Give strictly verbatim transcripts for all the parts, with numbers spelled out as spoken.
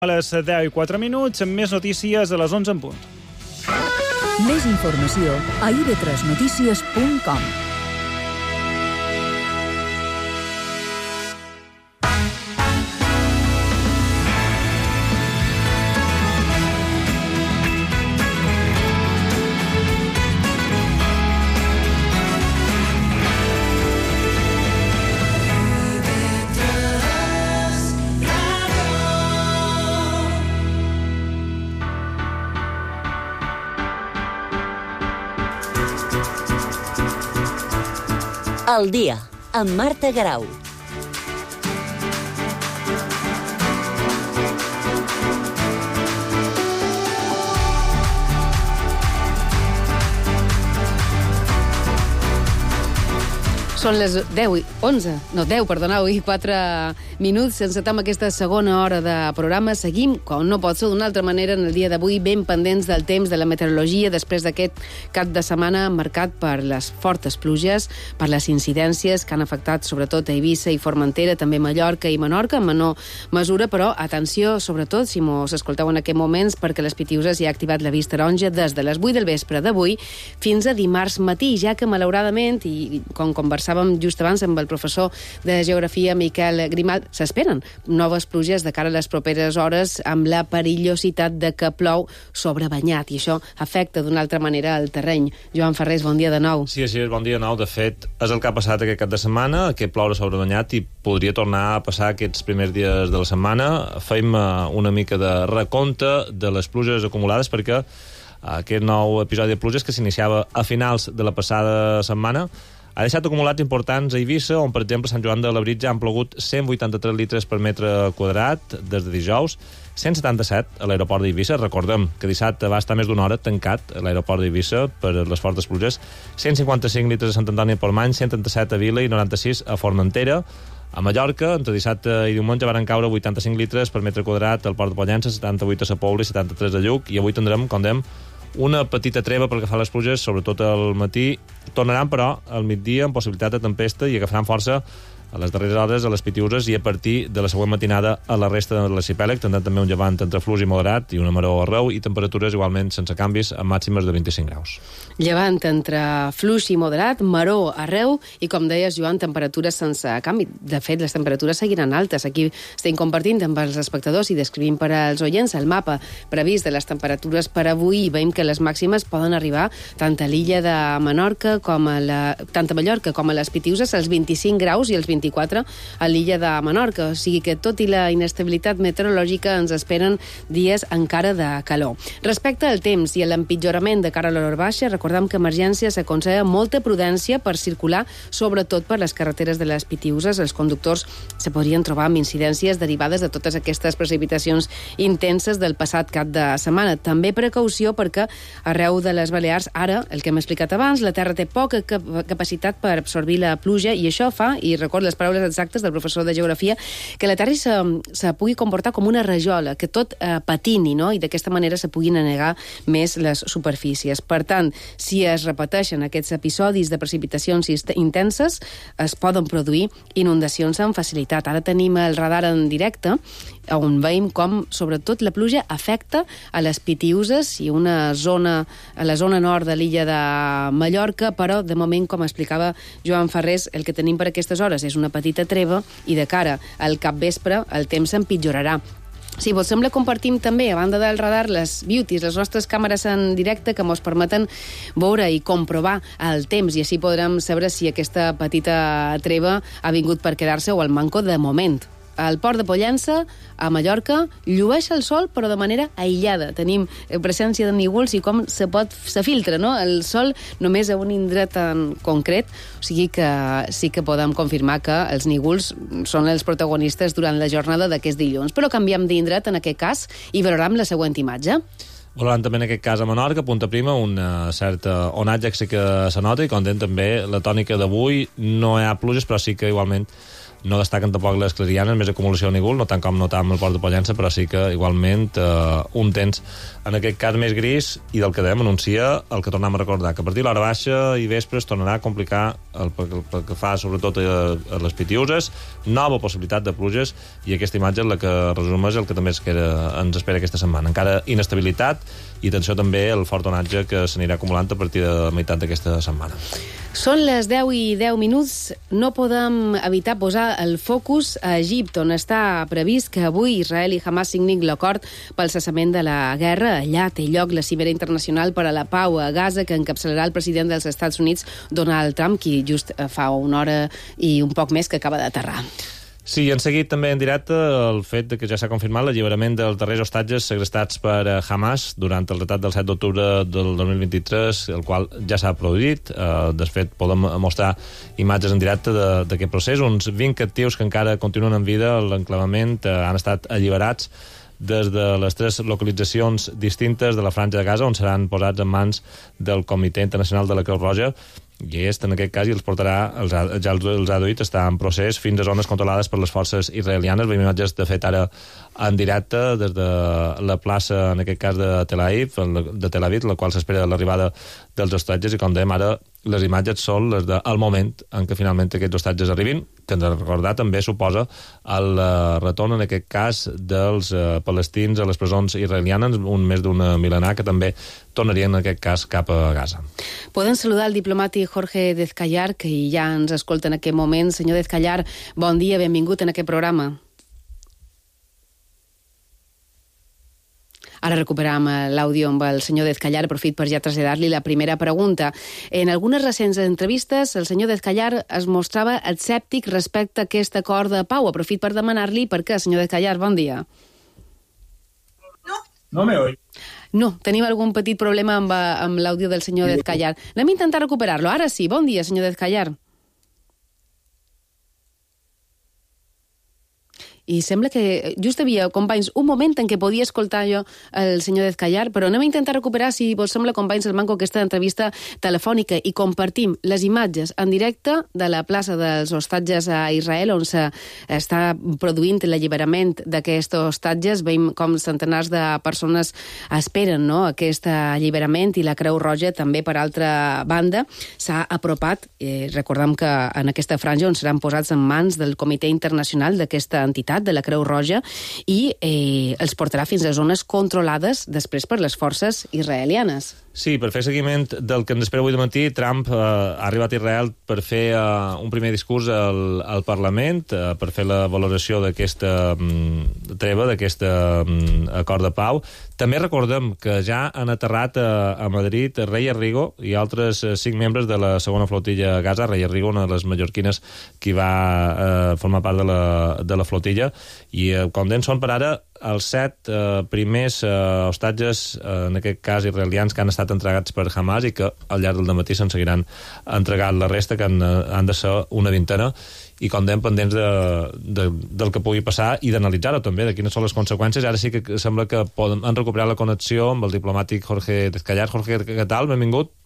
A les deu i quatre minuts, amb més notícies a les onze en punt. Més informació a i ve tres notícies punt com. El dia, amb Marta Garau. Són les deu i onze, no, deu, perdoneu, i quatre minuts. Encetem aquesta segona hora de programa. Seguim, com no pot ser d'una altra manera, en el dia d'avui, ben pendents del temps, de la meteorologia, després d'aquest cap de setmana marcat per les fortes pluges, per les incidències que han afectat sobretot a Eivissa i Formentera, també Mallorca i Menorca, en menor mesura, però atenció, sobretot, si mos escolteu en aquests moments, perquè les Pitiüses ja ha activat la vista taronja des de les vuit del vespre d'avui fins a dimarts matí, ja que, malauradament, i com conversàvem just abans amb el professor de Geografia Miquel Grimal, s'esperen noves pluges de cara a les properes hores amb la perillositat de que plou sobrebanyat, i això afecta d'una altra manera el terreny. Joan Ferrés, bon dia de nou. Sí, així és, bon dia de nou. De fet, és el que ha passat aquest cap de setmana, que ploure sobrebanyat, i podria tornar a passar aquests primers dies de la setmana. Fem una mica de recompte de les pluges acumulades, perquè aquest nou episodi de pluges que s'iniciava a finals de la passada setmana ha deixat acumulats importants a Eivissa, on, per exemple, a Sant Joan de Labritja han plogut cent vuitanta-tres litres per metre quadrat des de dijous, cent setanta-set a l'aeroport d'Eivissa. Recordem que dissabte va estar més d'una hora tancat a l'aeroport d'Eivissa per les fortes pluges, cent cinquanta-cinc litres a Sant Antoni de Portmany, cent trenta-set a Vila i noranta-sis a Formentera. A Mallorca, entre dissabte i diumenge, van caure vuitanta-cinc litres per metre quadrat al port de Pollença, setanta-vuit a Sa Pobla i setanta-tres a Lluc, i avui tindrem, com dèiem, una petita treva pel que fa a les pluges, sobretot al matí. Tornaran, però, al migdia amb possibilitat de tempesta i agafaran força a les darreres hores a les Pitiüses i a partir de la següent matinada a la resta de l'arxipèlag, tindran també un llevant entre fluix i moderat i una maror arreu, i temperatures igualment sense canvis amb màximes de vint-i-cinc graus. Llevant entre fluix i moderat, maror arreu i, com deies, Joan, temperatures sense canvi. De fet, les temperatures seguiran altes. Aquí estem compartint amb els espectadors i descrivint per als oients el mapa previst de les temperatures per avui, i veiem que les màximes poden arribar tant a l'illa de Menorca com a la, tant a Mallorca com a les Pitiüses, als vint-i-cinc graus i els vint-i-quatre a l'illa de Menorca. O sigui que, tot i la inestabilitat meteorològica, ens esperen dies encara de calor. Respecte al temps i a l'empitjorament de cara a l'hora baixa, recordem que Emergència s'aconsella molta prudència per circular, sobretot per les carreteres de les Pitiüses. Els conductors se podrien trobar amb incidències derivades de totes aquestes precipitacions intenses del passat cap de setmana. També precaució perquè arreu de les Balears, ara, el que hem explicat abans, la terra té poca cap capacitat per absorbir la pluja, i això fa, i recordo les paraules exactes del professor de Geografia, que la terra se, se pugui comportar com una rajola, que tot eh, patini, no? I d'aquesta manera se puguin anegar més les superfícies. Per tant, si es repeteixen aquests episodis de precipitacions intenses, es poden produir inundacions amb facilitat. Ara tenim el radar en directe, on veiem com, sobretot, la pluja afecta a les Pitiüses i una zona, a la zona nord de l'illa de Mallorca, però, de moment, com explicava Joan Ferrés, el que tenim per aquestes hores és una petita treva, i de cara al capvespre el temps s'empitjorarà. Si vos sembla, compartim també, a banda del radar, les beauties, les nostres càmeres en directe que ens permeten veure i comprovar el temps, i així podrem saber si aquesta petita treva ha vingut per quedar-se o al manco de moment. Al port de Pollença, a Mallorca, llueix el sol, però de manera aïllada. Tenim presència de núvols i com se pot, se filtra, no?, el sol només a un indret en concret. O sigui que sí que podem confirmar que els núvols són els protagonistes durant la jornada d'aquest dilluns. Però canviem d'indret en aquest cas i veurem la següent imatge. Valorant també en aquest cas a Menorca, Punta Prima, una certa onatge que sí que se nota, i com dèiem també la tònica d'avui, no hi ha pluges, però sí que igualment no destaquen tampoc les clarianes, més acumulació de núvol, no tant com notàvem al port de Pollença, però sí que igualment eh, un temps, en aquest cas més gris, i del que dèiem anuncia el que tornem a recordar, que a partir de l'hora baixa i vespre es tornarà a complicar el, pel, pel que fa sobretot a, a les Pitiuses, nova possibilitat de pluges, i aquesta imatge és la que resumeix el que també es queda, ens espera aquesta setmana. Encara inestabilitat i atenció també al fort onatge que s'anirà acumulant a partir de la meitat d'aquesta setmana. Són les deu i deu minuts. No podem evitar posar el focus a Egipte, on està previst que avui Israel i Hamas signin l'acord pel cessament de la guerra. Allà té lloc la cimera internacional per a la pau a Gaza, que encapçalarà el president dels Estats Units, Donald Trump, qui just fa una hora i un poc més que acaba d'aterrar. Sí, han seguit també en directe el fet de que ja s'ha confirmat l'alliberament dels darrers hostatges segrestats per Hamas durant el atac del set d'octubre del dos mil vint-i-tres, el qual ja s'ha produït. Eh, de fet, podem mostrar imatges en directe d'aquest procés. Uns vint captius que encara continuen en vida a l'enclavament eh, han estat alliberats des de les tres localitzacions distintes de la Franja de Gaza, on seran posats en mans del Comitè Internacional de la Creu Roja, i aquest, en aquest cas, i els portarà, els ha, ja els, els ha duit, està en procés fins a zones controlades per les forces israelianes. Veiem imatges, de fet, ara en directe des de la plaça, en aquest cas, de Tel Aviv, de Tel Aviv, la qual s'espera l'arribada dels hostatges, i com dèiem ara, les imatges són les del moment en què finalment aquests hostatges arribin, que ens ha de recordar també suposa el retorn, en aquest cas, dels eh, palestins a les presons israelianes, un més d'un mil·lenar, que també tornarien, en aquest cas, cap a Gaza. Podem saludar el diplomàtic Jorge Dezcayar, que ja ens escolta en aquest moment. Senyor Dezcayar, bon dia, benvingut en aquest programa. Ara recuperam l'àudio amb el senyor Dezcayar. Aprofit per ja traslladar-li la primera pregunta. En algunes recents entrevistes, el senyor Dezcayar es mostrava escèptic respecte a aquest acord de pau. Aprofit per demanar-li per què, senyor Dezcayar, bon dia. No, no me oy. No, tenim algun petit problema amb, amb l'àudio del senyor Dezcayar. Anem a intentar recuperar-lo. Ara sí, bon dia, senyor Dezcayar. I sembla que just havia, companys, un moment en què podia escoltar jo el senyor Dezcayar, però anem a intentar recuperar, si vos sembla, companys, el manco, aquesta entrevista telefònica, i compartim les imatges en directe de la plaça dels hostatges a Israel, on s'està produint l'alliberament d'aquests hostatges. Veiem com centenars de persones esperen, no?, aquest alliberament, i la Creu Roja també, per altra banda, s'ha apropat. Eh, recordem que en aquesta franja on seran posats en mans del Comitè Internacional d'aquesta entitat, de la Creu Roja, i eh, els portarà fins a zones controlades després per les forces israelianes. Sí, per fer seguiment del que ens espera avui de matí, Trump eh, ha arribat a Israel per fer eh, un primer discurs al, al Parlament, eh, per fer la valoració d'aquesta mm, treva, d'aquest mm, acord de pau. També recordem que ja han aterrat a, a Madrid Rey Arrigo i altres eh, cinc membres de la segona flotilla a Gaza. Rey Arrigo, una de les mallorquines que va eh, formar part de la, de la flotilla, i eh, com deien, són per ara els set eh, primers eh, hostatges, eh, en aquest cas israelians, que han estat entregats per Hamas, i que al llarg del dematí se'n seguiran entregant la resta, que han, han de ser una vintena, i com dèiem, pendents de, de, del que pugui passar i d'analitzar-ho també, de quines són les conseqüències. Ara sí que sembla que podem, han recuperat la connexió amb el diplomàtic Jorge Dezcayar. Jorge, què tal? Benvingut.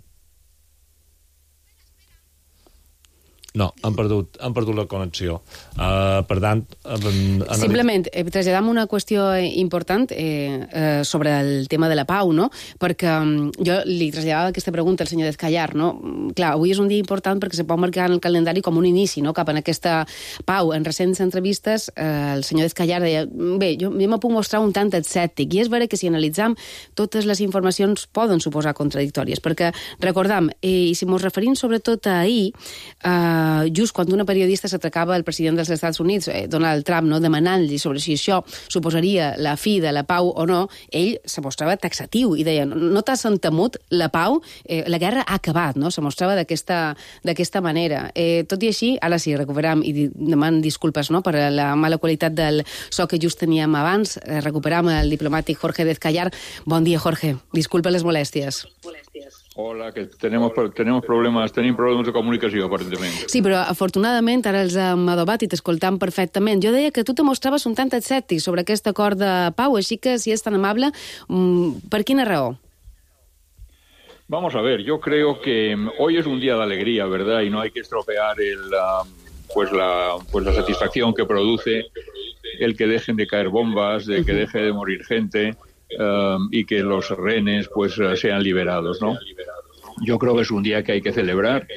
No, han perdut, han perdut la connexió. Uh, per tant... Uh, Simplement, eh, traslladam una qüestió important eh, eh, sobre el tema de la pau, no? Perquè um, jo li traslladava aquesta pregunta al senyor Dezcayar, no? Clar, avui és un dia important perquè se pot marcar en el calendari com un inici, no?, cap en aquesta pau. En recents entrevistes, eh, el senyor Dezcayar deia, bé, jo, jo me puc mostrar un tant escèptic, i és vera que si analitzam totes les informacions poden suposar contradictòries, perquè recordam, eh, i si mos referim sobretot a ahir, eh, Uh, just quan una periodista s'atracava al president dels Estats Units, eh, Donald Trump, no, demanant-li sobre si això suposaria la fi de la pau o no, ell se mostrava taxatiu i deia, no, no t'has entemut la pau, eh, la guerra ha acabat, no? Se mostrava d'aquesta d'aquesta manera. Eh, tot i així, ara sí, recuperam, i deman disculpes, no?, per la mala qualitat del so que just teníem abans, eh, recuperam el diplomàtic Jorge Dezcayar. Bon dia, Jorge. Disculpa les molèsties. Molèsties. Hola, que tenemos, tenemos problemes, tenim problemes de comunicació, aparentment. Sí, però afortunadament ara els hem adobat i t'escoltam perfectament. Jo deia que tu te mostraves un tant escèptic sobre aquest acord de pau, així que, si és tan amable, per quina raó? Vamos a ver, yo creo que hoy es un día de alegría, ¿verdad? Y no hay que estropear el, uh, pues la, pues la satisfacción que produce el que dejen de caer bombas, de que deje de morir gente, Uh, y que los rehenes pues uh, sean liberados, ¿no? Yo creo que es un día que hay que celebrar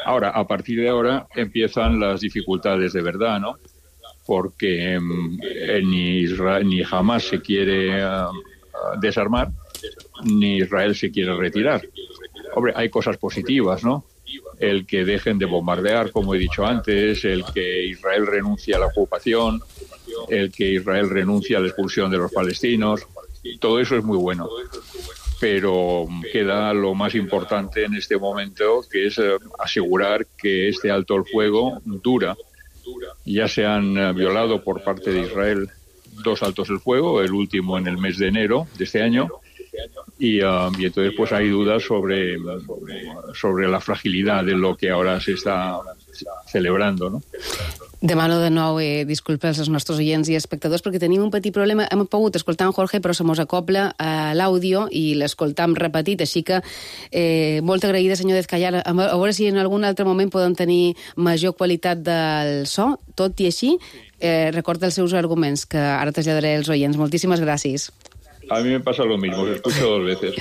Ahora, a partir de ahora empiezan las dificultades de verdad, ¿no? Porque eh, ni Israel, ni Hamas se quiere uh, desarmar, ni Israel se quiere retirar. Hombre, hay cosas positivas, ¿no? El que dejen de bombardear, como he dicho antes, el que Israel renuncie a la ocupación, el que Israel renuncie a la expulsión de los palestinos, todo eso es muy bueno. Pero queda lo más importante en este momento, que es eh, asegurar que este alto el fuego dura. Ya se han eh, violado por parte de Israel dos altos el fuego, el último en el mes de enero de este año, y, uh, y entonces pues hay dudas sobre, sobre la fragilidad de lo que ahora se está celebrando, ¿no? Demano de nou eh, disculpes als nostres oients i espectadors perquè tenim un petit problema. Hem pogut escoltar en Jorge, però se mos acopla a l'àudio i l'escoltam repetit, així que eh, molt agraïda, senyor Dezcayar. A veure si en algun altre moment poden tenir major qualitat del so, tot i així, eh, recorda els seus arguments, que ara traslladaré als oients. Moltíssimes gràcies. A mí me pasa lo mismo, lo escucho dos veces.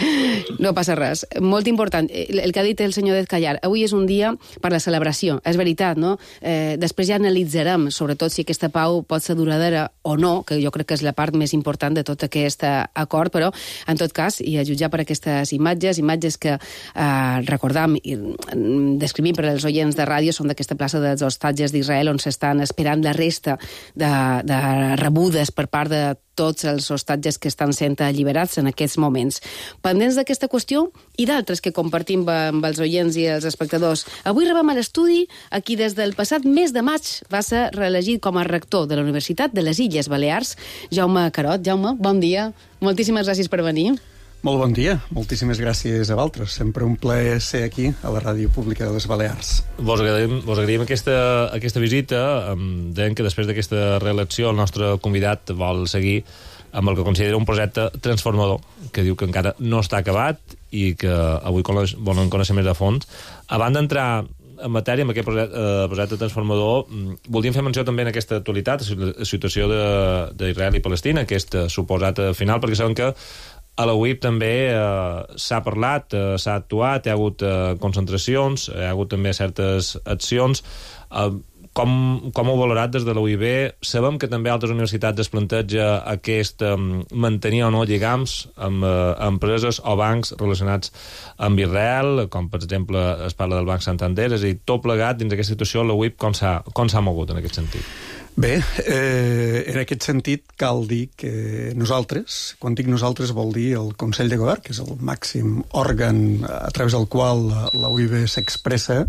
No passa res. Molt important. El que ha dit el senyor Dezcayar, avui és un dia per la celebració. És veritat, no? Eh, després ja analitzarem, sobretot, si aquesta pau pot ser duradora o no, que jo crec que és la part més important de tot aquest acord, però, en tot cas, i a jutjar per aquestes imatges, imatges que eh, recordam i descrivim per als oients de ràdio, són d'aquesta plaça dels hostatges d'Israel, on s'estan esperant la resta de, de rebudes per part de tots els hostatges que estan sent alliberats en aquests moments. Pendents d'aquesta qüestió i d'altres que compartim amb els oients i els espectadors. Avui rebem a l'estudi a qui des del passat mes de maig va ser reelegit com a rector de la Universitat de les Illes Balears, Jaume Carot. Jaume, bon dia. Moltíssimes gràcies per venir. Molt bon dia. Moltíssimes gràcies a vosaltres. Sempre un plaer ser aquí, a la Ràdio Pública de les Balears. Vos agraïm, vos agraïm aquesta, aquesta visita. Deien que després d'aquesta reelecció el nostre convidat vol seguir amb el que considera un projecte transformador, que diu que encara no està acabat i que avui volen conèixer més a fons. Abans d'entrar en matèria amb aquest projecte, eh, projecte transformador, voldríem fer menció també en aquesta actualitat, la situació d'Israel i Palestina, aquest suposat final, perquè sabem que a la U I P també eh, s'ha parlat, eh, s'ha actuat, hi ha hagut eh, concentracions, hi ha hagut també certes accions. Eh, com, com ho valorat des de la U I B? Sabem que també altres universitats es planteja aquest eh, mantenir o no lligams amb eh, empreses o bancs relacionats amb Israel, com per exemple es parla del Banc Santander, és a dir, tot plegat dins d'aquesta situació, la U I P com s'ha com s'ha mogut en aquest sentit? Bé, eh, en aquest sentit cal dir que nosaltres, quan dic nosaltres vol dir el Consell de Govern, que és el màxim òrgan a través del qual la, la U I B s'expressa,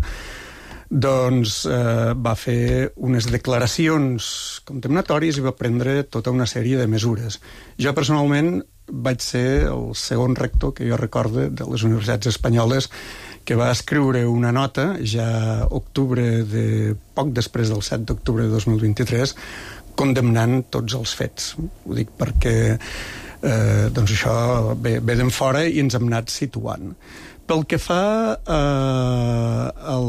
doncs eh, va fer unes declaracions condemnatòries i va prendre tota una sèrie de mesures. Jo personalment vaig ser el segon rector que jo recorde de les universitats espanyoles que va escriure una nota ja a octubre de poc després del set d'octubre de dos mil vint-i-tres condemnant tots els fets. Ho dic perquè eh, doncs això ve, ve d'en fora i ens hem anat situant. Pel que fa eh, al,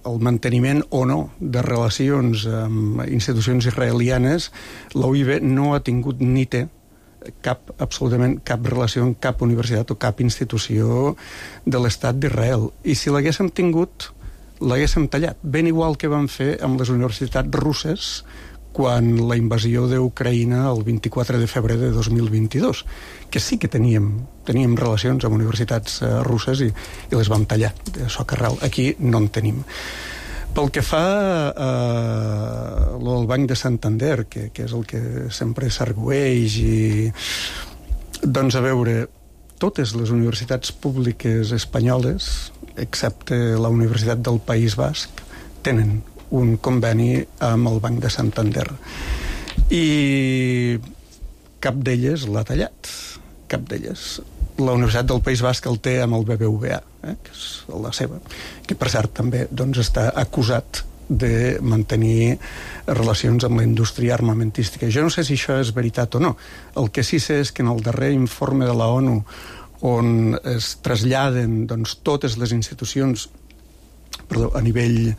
al manteniment o no de relacions amb institucions israelianes, la U I B no ha tingut ni té cap, absolutament cap relació amb cap universitat o cap institució de l'Estat d'Israel. I si l'haguéssim tingut, l'haguéssim tallat. Ben igual que vam fer amb les universitats russes quan la invasió d'Ucraïna el vint-i-quatre de febrer de dos mil vint-i-dos, que sí que teníem, teníem relacions amb universitats uh, russes i, i les vam tallar de socarral. Aquí no en tenim. Pel que fa eh, al Banc de Santander, que, que és el que sempre s'argüeix, i, doncs a veure, totes les universitats públiques espanyoles, excepte la Universitat del País Basc, tenen un conveni amb el Banc de Santander. I cap d'elles l'ha tallat, cap d'elles. La Universitat del País Basc el té amb el B B V A, eh, que és la seva, que per cert també doncs, està acusat de mantenir relacions amb la indústria armamentística. Jo no sé si això és veritat o no. El que sí sé és que en el darrer informe de la ONU, on es traslladen doncs, totes les institucions perdó, a nivell,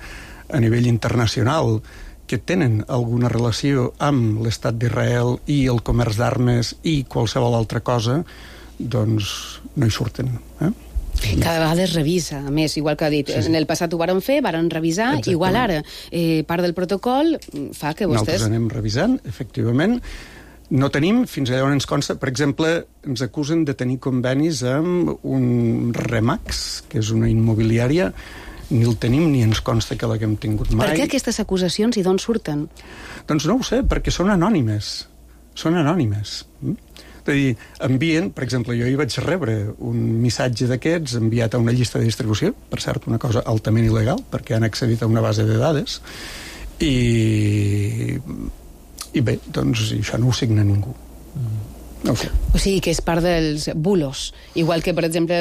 a nivell internacional que tenen alguna relació amb l'estat d'Israel i el comerç d'armes i qualsevol altra cosa, doncs no hi surten. Eh? Cada vegada es revisa, a més, igual que ha dit. Sí, sí. En el passat ho varen fer, varen revisar, exactament. Igual ara. Eh, part del protocol fa que vostès... Nosaltres anem revisant, efectivament. No tenim, fins allà on ens consta, per exemple, ens acusen de tenir convenis amb un Remax, que és una immobiliària, ni el tenim ni ens consta que l'haguem tingut mai. Per què aquestes acusacions i d'on surten? Doncs no ho sé, perquè són anònimes. Són anònimes. És a dir, envien, per exemple, jo hi vaig rebre un missatge d'aquests enviat a una llista de distribució, per cert, una cosa altament il·legal, perquè han accedit a una base de dades, i, i bé, doncs això no ho signa ningú. Mm. No sé. O sigui, que és part dels bulos. Igual que, per exemple,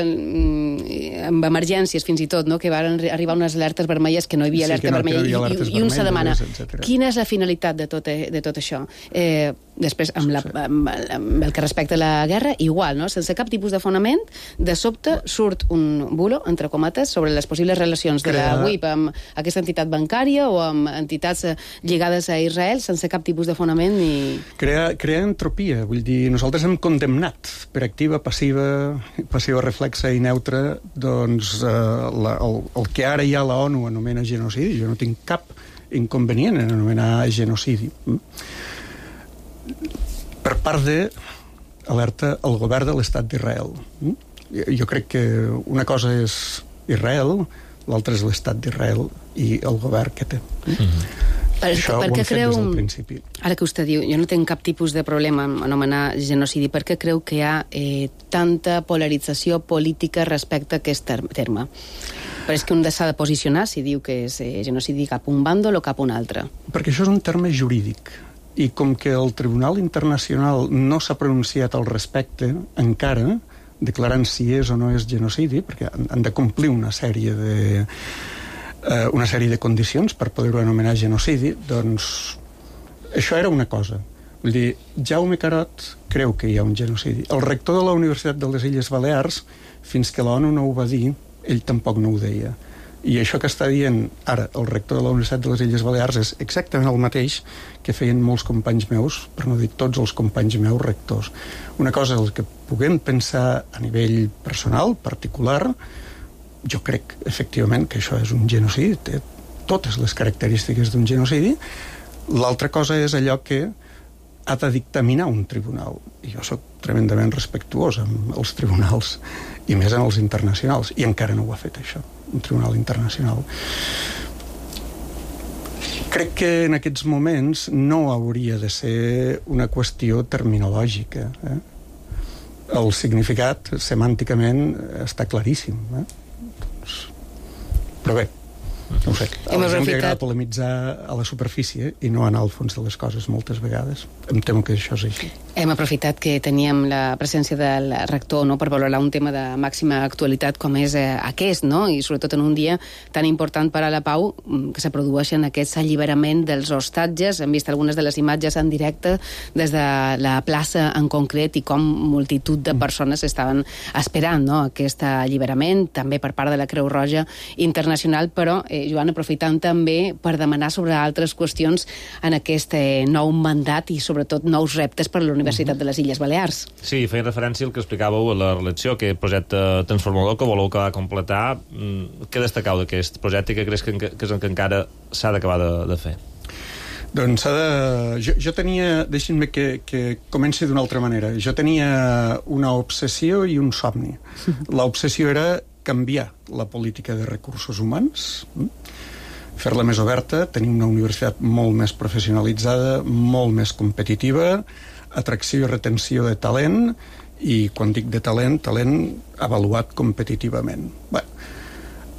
amb emergències, fins i tot, no? Que van arribar unes alertes vermelles que no hi havia alerta sí, no, vermella. I, i, i un se demana, etcètera. Quina és la finalitat de tot, de tot això? Eh, després, amb, la, amb, amb el que respecta a la guerra, igual, no? Sense cap tipus de fonament, de sobte surt un bulo, entre comates, sobre les possibles relacions de la U I P amb aquesta entitat bancària o amb entitats lligades a Israel, sense cap tipus de fonament ni... Crea, crea entropia, vull dir, nosaltres Nosaltres hem condemnat per activa, passiva, passiva reflexa i neutra, doncs, eh, la, el, el que ara ja la ONU anomena genocidi. Jo no tinc cap inconvenient en anomenar genocidi. Per part de, alerta, el govern de l'Estat d'Israel. Jo crec que una cosa és Israel, l'altra és l'Estat d'Israel i el govern que té. Mm-hmm. Per, Això per ho hem creu, fet des del principi. Ara que vostè diu, jo no tinc cap tipus de problema en anomenar genocidi, per què creu que hi ha eh, tanta polarització política respecte a aquest terme? Però és que un s'ha de posicionar si diu que és eh, genocidi cap un bàndol o cap un altre. Perquè això és un terme jurídic, i com que el Tribunal Internacional no s'ha pronunciat al respecte encara, declarant si és o no és genocidi, perquè han de complir una sèrie de... una sèrie de condicions per poder-ho anomenar genocidi, doncs això era una cosa. Vull dir, Jaume Carot creu que hi ha un genocidi. El rector de la Universitat de les Illes Balears, fins que l'ONU no ho va dir, ell tampoc no ho deia. I això que està dient ara el rector de la Universitat de les Illes Balears és exactament el mateix que feien molts companys meus, per no dir tots els companys meus rectors. Una cosa és el que puguem pensar a nivell personal, particular. Jo crec, efectivament, que això és un genocidi, té totes les característiques d'un genocidi. L'altra cosa és allò que ha de dictaminar un tribunal. I jo sóc tremendament respectuós amb els tribunals, i més en els internacionals, i encara no ho ha fet, això, un tribunal internacional. Crec que en aquests moments no hauria de ser una qüestió terminològica. Eh? El significat, semànticament, està claríssim, eh? Però bé, no ho sé. A la gent li agrada polemitzar a la superfície i no anar al fons de les coses moltes vegades. Em temo que això és així. Hem aprofitat que teníem la presència del rector, no?, per valorar un tema de màxima actualitat com és eh, aquest, no?, i sobretot en un dia tan important per a la pau, que se produeixen aquests alliberament dels hostatges. Hem vist algunes de les imatges en directe des de la plaça en concret i com multitud de persones estaven esperant, no?, aquest alliberament, també per part de la Creu Roja Internacional, però, eh, Joan, aprofitant també per demanar sobre altres qüestions en aquest eh, nou mandat i sobretot nous reptes per a la Universitat de les Illes Balears. Sí, feia referència al que explicàveu a la relació, aquest projecte transformador que voleu acabar de completar. Què destacau d'aquest projecte i què creus que, que és el que encara s'ha d'acabar de, de fer? Doncs s'ha de... Jo, jo tenia... Deixin-me que, que comenci d'una altra manera. Jo tenia una obsessió i un somni. L'obsessió era canviar la política de recursos humans, fer-la més oberta, tenir una universitat molt més professionalitzada, molt més competitiva, atracció i retenció de talent, i quan dic de talent, talent avaluat competitivament. Bé,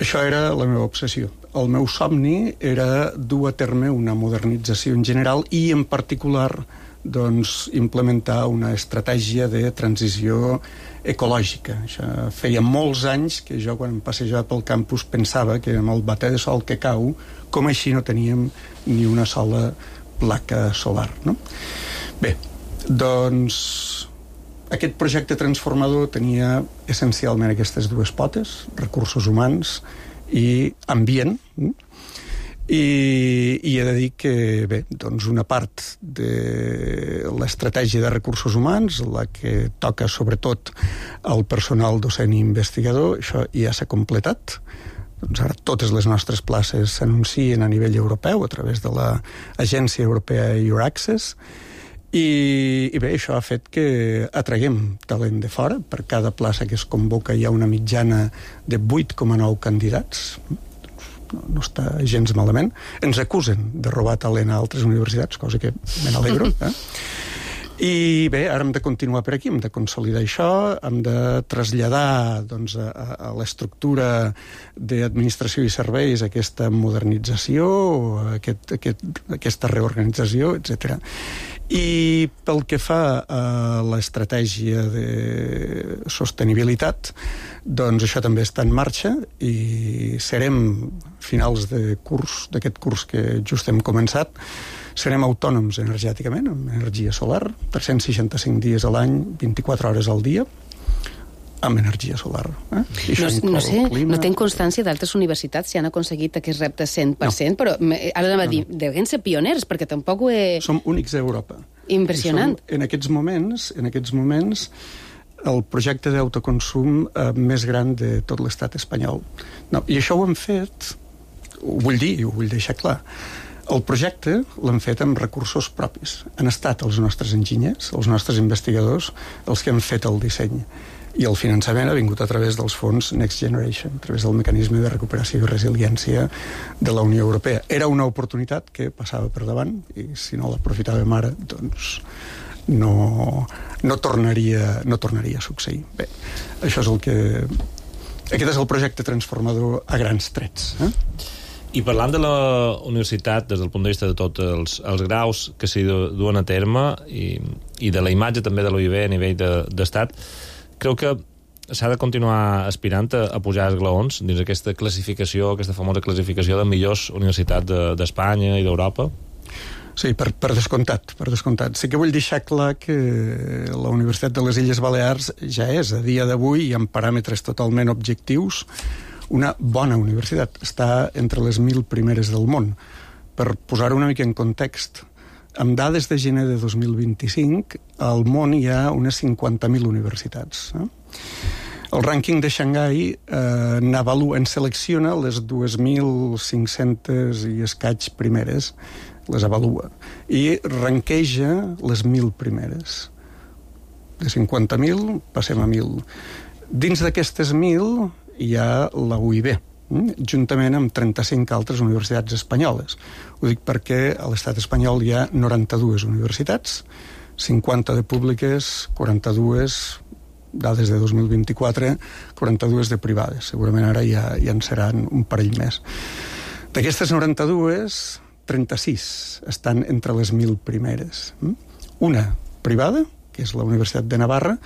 això era la meva obsessió. El meu somni era dur a terme una modernització en general i, en particular, doncs, implementar una estratègia de transició ecològica. Això feia molts anys que jo, quan em passejava pel campus, pensava que amb el bater de sol que cau, com així no teníem ni una sola placa solar, no? Bé, doncs aquest projecte transformador tenia essencialment aquestes dues potes, recursos humans i ambient, I, i he de dir que, bé, doncs una part de l'estratègia de recursos humans, la que toca sobretot al personal docent i investigador, això ja s'ha completat. Doncs ara totes les nostres places s'anuncien a nivell europeu a través de l'Agència Europea Euraccess, i, i bé, això ha fet que atraguem talent de fora. Per cada plaça que es convoca hi ha una mitjana de vuit coma nou candidats. No, no està gens malament. Ens acusen de robar talent a altres universitats, cosa que me n'alegro. Eh? I bé, ara hem de continuar per aquí, hem de consolidar això, hem de traslladar doncs, a, a l'estructura d'administració i serveis aquesta modernització, aquest, aquest, aquesta reorganització, etcètera. I pel que fa a l'estratègia de sostenibilitat, doncs això també està en marxa i serem, finals de curs, d'aquest curs que just hem començat, serem autònoms energèticament, amb energia solar, tres-cents seixanta-cinc dies a l'any, vint-i-quatre hores al dia, amb energia solar. Eh? No, no sé, no tenc constància d'altres universitats si han aconseguit aquest repte cent per cent, no. Però ara anava a dir, no, no. Deuen ser pioners, perquè tampoc ho he... Som únics a Europa. Impressionant. Som, en aquests moments, en aquests moments, el projecte d'autoconsum eh, més gran de tot l'estat espanyol. No, i això ho hem fet, ho vull dir, ho vull deixar clar, el projecte l'hem fet amb recursos propis. Han estat els nostres enginyers, els nostres investigadors, els que han fet el disseny. I el finançament ha vingut a través dels fons Next Generation, a través del mecanisme de recuperació i resiliència de la Unió Europea. Era una oportunitat que passava per davant i si no l'aprofitàvem ara, doncs no, no, tornaria, no tornaria a succeir. Bé, això és el que... Aquest és el projecte transformador a grans trets. Eh? I parlant de la universitat des del punt de vista de tots els, els graus que s'hi duen a terme i, i de la imatge també de l'U I B a nivell de, d'estat, creu que s'ha de continuar aspirant a, a pujar esglaons dins aquesta classificació, aquesta famosa classificació de millors universitats de, d'Espanya i d'Europa? Sí, per, per descomptat, per descomptat. Sí que vull deixar clar que la Universitat de les Illes Balears ja és, a dia d'avui, i amb paràmetres totalment objectius, una bona universitat. Està entre les mil primeres del món. Per posar-ho una mica en context, amb dades de gener de dos mil vint-i-cinc, al món hi ha unes cinquanta mil universitats. Eh? El rànquing de Xangai eh, n'avalua, en selecciona les dos mil cinc-centes i escaig primeres, les avalua, i ranqueja les mil primeres. De cinquanta mil passem a mil. Dins d'aquestes mil hi ha la U I B, juntament amb trenta-cinc altres universitats espanyoles. Ho dic perquè a l'estat espanyol hi ha noranta-dues universitats, cinquanta de públiques, quaranta-dues, dades de dos mil vint-i-quatre, quaranta-dues de privades. Segurament ara ja, ja en seran un parell més. D'aquestes noranta-dues, trenta-sis estan entre les mil primeres. Una privada, que és la Universitat de Navarra,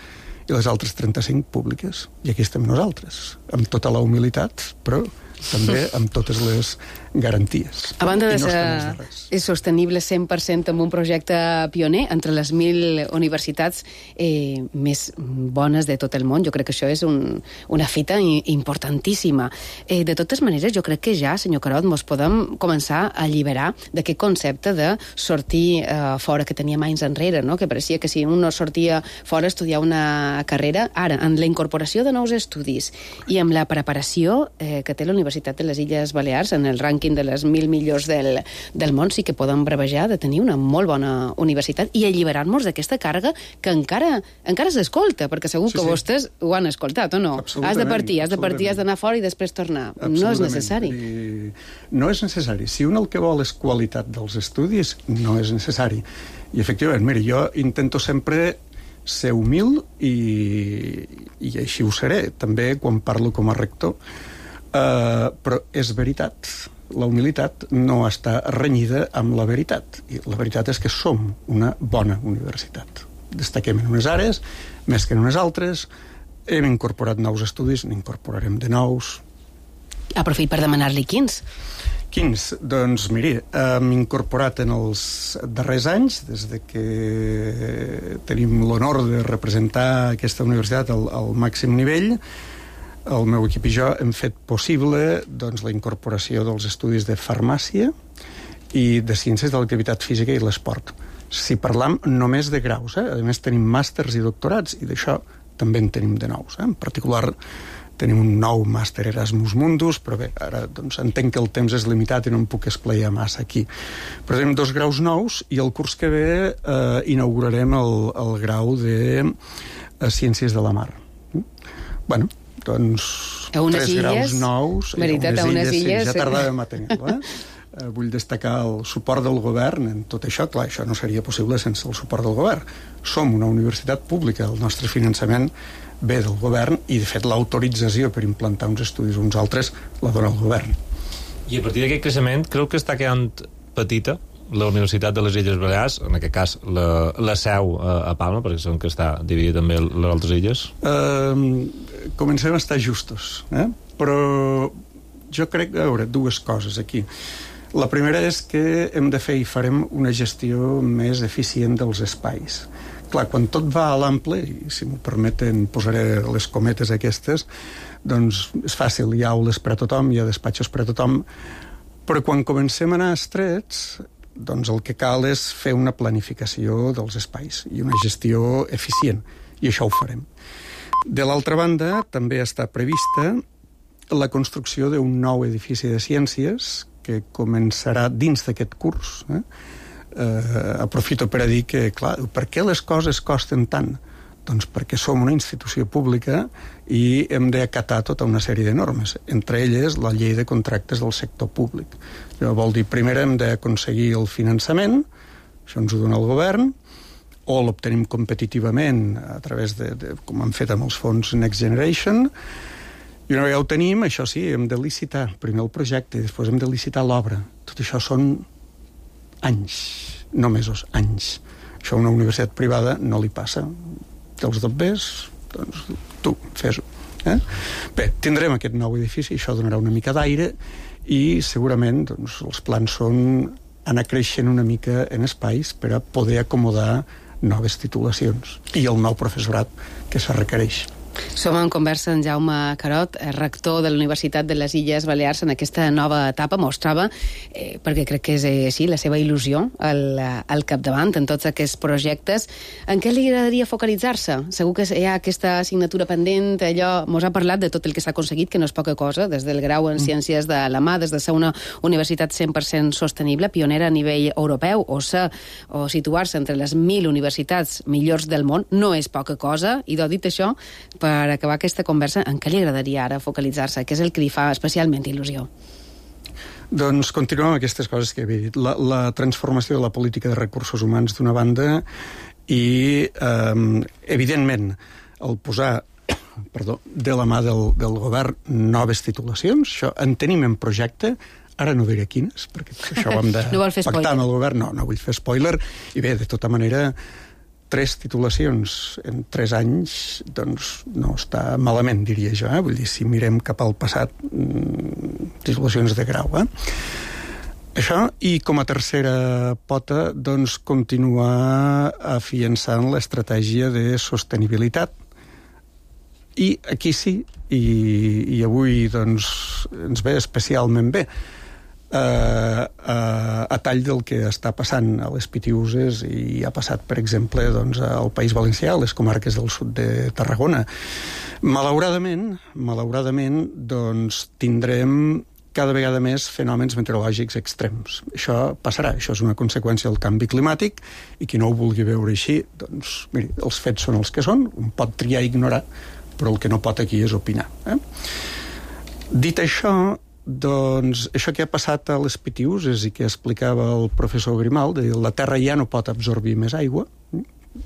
i les altres trenta-cinc públiques. I aquí estem nosaltres, amb tota la humilitat, però també amb totes les garanties. A banda de no ser sostenible cent per cent amb un projecte pioner entre les mil universitats eh, més bones de tot el món, jo crec que això és un, una fita importantíssima. Eh, de totes maneres, jo crec que ja, senyor Carod, mos podem començar a alliberar d'aquest concepte de sortir eh, fora, que teníem anys enrere, no? Que pareixia que si un no sortia fora a estudiar una carrera, ara, amb la incorporació de nous estudis i amb la preparació eh, que té la Universitat de les Illes Balears en el rànquing de les mil millors del, del món, sí que podem brevejar de tenir una molt bona universitat i alliberar-nos d'aquesta càrrega que encara encara s'escolta, perquè segur sí, que sí. Vostès ho han escoltat, o no? Has de partir, has de partir, has d'anar fora i després tornar. No és necessari. I no és necessari. Si un el que vol és qualitat dels estudis, no és necessari. I efectivament, mira, jo intento sempre ser humil i, i així ho seré, també quan parlo com a rector. Uh, però és veritat, la humilitat no està renyida amb la veritat, i la veritat és que som una bona universitat. Destaquem en unes àrees més que en unes altres, hem incorporat nous estudis, n'incorporarem de nous. Aprofit per demanar-li quins. Quins? Doncs miri, hem incorporat en els darrers anys, des de que tenim l'honor de representar aquesta universitat al, al màxim nivell, el meu equip i jo hem fet possible doncs, la incorporació dels estudis de farmàcia i de ciències de l'activitat física i l'esport. Si parlam només de graus, eh? A més tenim màsters i doctorats, i d'això també en tenim de nous. Eh? En particular, tenim un nou màster Erasmus Mundus, però bé, ara doncs, entenc que el temps és limitat i no em puc esplaiar massa aquí. Però tenim dos graus nous i el curs que ve eh, inaugurarem el, el grau de eh, Ciències de la Mar. Mm? Bueno, doncs, tres illes, graus nous. veritat, a unes illes... Sí, ja tardàvem a tenir-lo, eh? eh? Vull destacar el suport del govern en tot això. Clar, això no seria possible sense el suport del govern. Som una universitat pública, el nostre finançament ve del govern i, de fet, l'autorització per implantar uns estudis o uns altres la dona el govern. I a partir d'aquest creixement, creu que està quedant petita la Universitat de les Illes Balears, en aquest cas la, la seu a, a Palma, perquè són que està dividida també les altres illes? Uh, comencem a estar justos, eh? Però jo crec, a veure, dues coses aquí. La primera és que hem de fer i farem una gestió més eficient dels espais. Clar, quan tot va a l'ample, i si m'ho permeten posaré les cometes aquestes, doncs és fàcil, hi ha aules per a tothom, hi ha despatxos per a tothom, però quan comencem a anar estrets, doncs el que cal és fer una planificació dels espais i una gestió eficient, i això ho farem. De l'altra banda, també està prevista la construcció d'un nou edifici de ciències que començarà dins d'aquest curs, eh? Uh, aprofito per a dir que, clar, per què les coses costen tant? Doncs perquè som una institució pública i hem d'acatar tota una sèrie de normes, entre elles la llei de contractes del sector públic. Això vol dir, primer hem d'aconseguir el finançament, això ens ho dona el govern, o l'obtenim competitivament a través de, de com han fet amb els fons Next Generation, i una vegada ho tenim, això sí, hem de licitar primer el projecte i després hem de licitar l'obra. Tot això són anys, no mesos, anys. Això a una universitat privada no li passa. Els dobbers, doncs tu, fes-ho. Eh? Bé, tindrem aquest nou edifici, això donarà una mica d'aire i segurament doncs, els plans són anar creixent una mica en espais per a poder acomodar noves titulacions i el nou professorat que se requereix. Som en conversa amb Jaume Carot, rector de la Universitat de les Illes Balears en aquesta nova etapa. Mostrava, eh, perquè crec que és eh, sí, la seva il·lusió al, al capdavant en tots aquests projectes. En què li agradaria focalitzar-se? Segur que hi ha aquesta assignatura pendent, allò, mos ha parlat de tot el que s'ha aconseguit, que no és poca cosa, des del grau en Ciències de la Mà, des de ser una universitat cent per cent sostenible, pionera a nivell europeu, o ser, o situar-se entre les mil universitats millors del món, no és poca cosa, i dit això, per acabar aquesta conversa, en què li agradaria ara focalitzar-se? Què és el que li fa especialment il·lusió? Doncs continuem amb aquestes coses que havia dit. La, la transformació de la política de recursos humans d'una banda i, eh, evidentment, el posar perdó, de la mà del, del govern noves titulacions. Això en tenim en projecte, ara no diré quines, perquè això ho hem de no pactar amb el govern. No, no vull fer spoiler. I bé, de tota manera, tres titulacions en tres anys, doncs no està malament, diria jo. Eh? Vull dir, si mirem cap al passat, mmm, titulacions de grau. Eh? Això, i com a tercera pota, doncs continuar afiançant l'estratègia de sostenibilitat. I aquí sí, i, i avui doncs, ens ve especialment bé, Uh, uh, a tall del que està passant a les Pitiüses i ha passat, per exemple, doncs, al País Valencià, a les comarques del sud de Tarragona. Malauradament, malauradament, doncs, tindrem cada vegada més fenòmens meteorològics extrems. Això passarà, això és una conseqüència del canvi climàtic, i qui no ho vulgui veure així, doncs, miri, els fets són els que són, un pot triar i ignorar, però el que no pot aquí és opinar. Eh? Dit això, doncs això que ha passat a les Pitiüses i que explicava el professor Grimaldi, la Terra ja no pot absorbir més aigua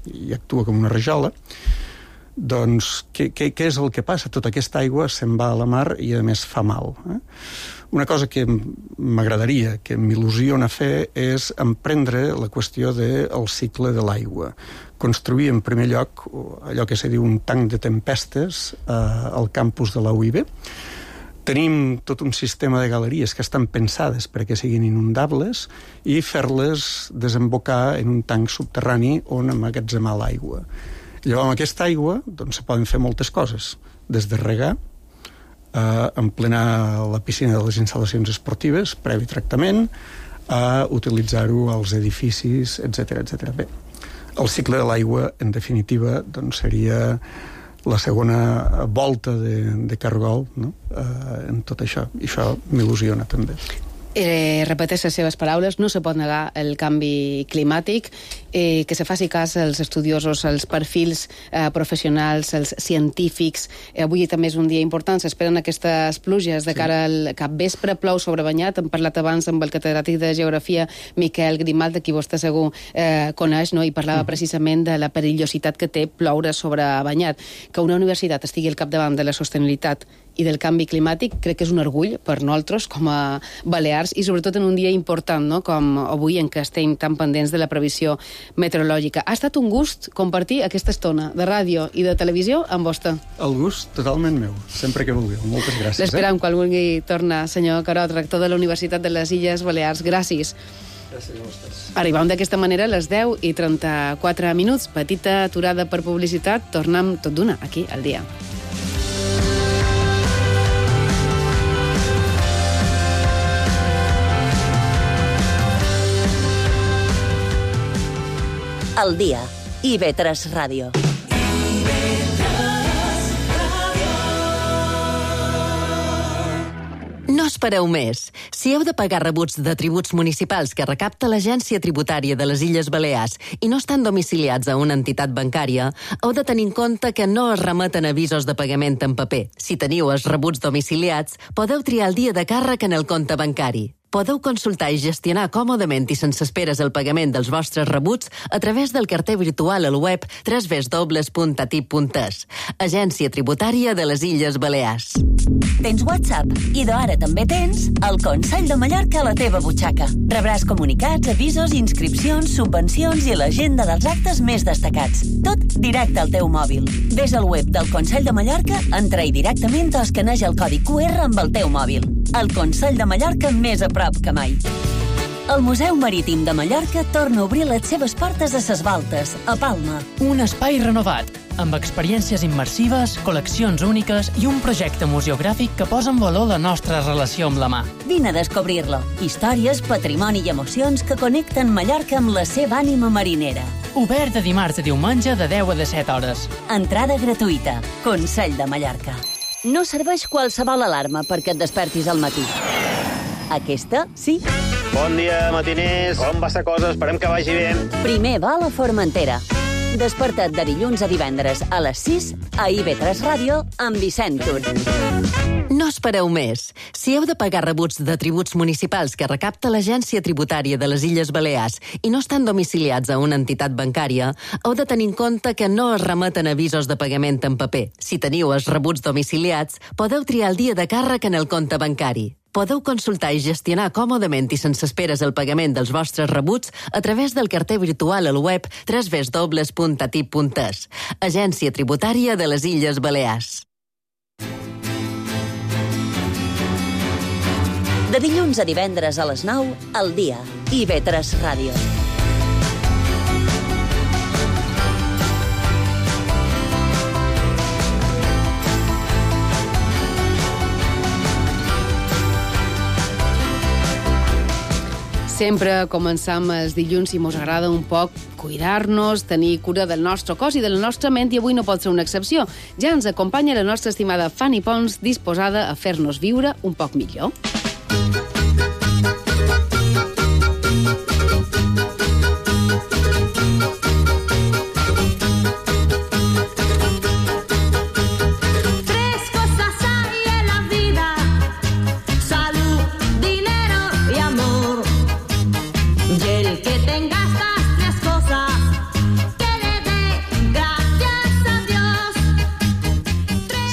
i actua com una rajola, doncs què, què, què és el que passa? Tota aquesta aigua se'n va a la mar i a més fa mal. Eh? Una cosa que m'agradaria, que m'il·lusiona fer, és emprendre la qüestió del cicle de l'aigua. Construir en primer lloc allò que se diu un tanc de tempestes eh, al campus de la U I B. Tenim tot un sistema de galeries que estan pensades perquè siguin inundables i fer-les desembocar en un tanc subterrani on emmagatzemar l'aigua. Llavors, amb aquesta aigua doncs, se poden fer moltes coses, des de regar, a emplenar la piscina de les instal·lacions esportives, previ tractament, a utilitzar-ho als edificis, etcètera, etcètera. Bé, el cicle de l'aigua, en definitiva, doncs seria la segona volta de, de cargol, no? eh, en tot això. I això m'il·lusiona, també. Eh, repeteix les seves paraules, no se pot negar el canvi climàtic, eh, que se faci cas als estudiosos, als perfils eh, professionals, als científics. Eh, avui també és un dia important, s'esperen aquestes pluges de cara al capvespre, plou sobrebanyat. Hem parlat abans amb el catedràtic de Geografia, Miquel Grimalt, de qui vostè segur eh, coneix, no? I parlava precisament de la perillositat que té ploure sobrebanyat. Que una universitat estigui al capdavant de la sostenibilitat i del canvi climàtic, crec que és un orgull per nosaltres com a balears i sobretot en un dia important, no? Com avui en què estem tan pendents de la previsió meteorològica. Ha estat un gust compartir aquesta estona de ràdio i de televisió amb vostè. El gust totalment meu, sempre que vulgueu. Moltes gràcies. L'esperam eh? quan vulgui tornar, senyor Carot, rector de la Universitat de les Illes Balears. Gràcies. Gràcies a vostès. Arribam d'aquesta manera a les deu i trenta-quatre minuts. Petita aturada per publicitat. Tornem tot d'una aquí al dia. Al dia. I ve tres Ràdio. No espereu més. Si heu de pagar rebuts de tributs municipals que recapta l'Agència Tributària de les Illes Balears i no estan domiciliats a una entitat bancària, heu de tenir en compte que no es remeten avisos de pagament en paper. Si teniu els rebuts domiciliats, podeu triar el dia de càrrec en el compte bancari. Podeu consultar i gestionar còmodament i sense esperes el pagament dels vostres rebuts a través del carter virtual al web w w w punt a t i p punt e s. Agència Tributària de les Illes Balears. Tens WhatsApp i d'ara també tens el Consell de Mallorca a la teva butxaca. Rebràs comunicats, avisos, inscripcions, subvencions i l'agenda dels actes més destacats. Tot directe al teu mòbil. Ves al web del Consell de Mallorca, entra-hi directament o escaneja el codi cu erre amb el teu mòbil. El Consell de Mallorca més a prop que mai. El Museu Marítim de Mallorca torna a obrir les seves portes a Ses Baltes, a Palma. Un espai renovat, amb experiències immersives, col·leccions úniques i un projecte museogràfic que posa en valor la nostra relació amb la mà. Vine a descobrir-lo. Històries, patrimoni i emocions que connecten Mallorca amb la seva ànima marinera. Obert de dimarts a diumenge de deu a disset hores. Entrada gratuïta. Consell de Mallorca. No serveix qualsevol alarma perquè et despertis al matí. Aquesta, sí. Bon dia, matiners. Com va la cosa? Esperem que vagi bé. Primer va a la Formentera. Desperta't de dilluns a divendres a les sis a I V tres Ràdio amb Vicent Tur. No espereu més. Si heu de pagar rebuts de tributs municipals que recapta l'Agència Tributària de les Illes Balears i no estan domiciliats a una entitat bancària, heu de tenir en compte que no es remeten avisos de pagament en paper. Si teniu els rebuts domiciliats, podeu triar el dia de càrrec en el compte bancari. Podeu consultar i gestionar còmodament i sense esperes el pagament dels vostres rebuts a través del carter virtual al web w w w punt a t i p punt e s. Agència Tributària de les Illes Balears. De dilluns a divendres a les nou, al dia. I V tres Ràdio. Sempre començam els dilluns i mos agrada un poc cuidar-nos, tenir cura del nostre cos i de la nostra ment, i avui no pot ser una excepció. Ja ens acompanya la nostra estimada Fanny Pons, disposada a fer-nos viure un poc millor.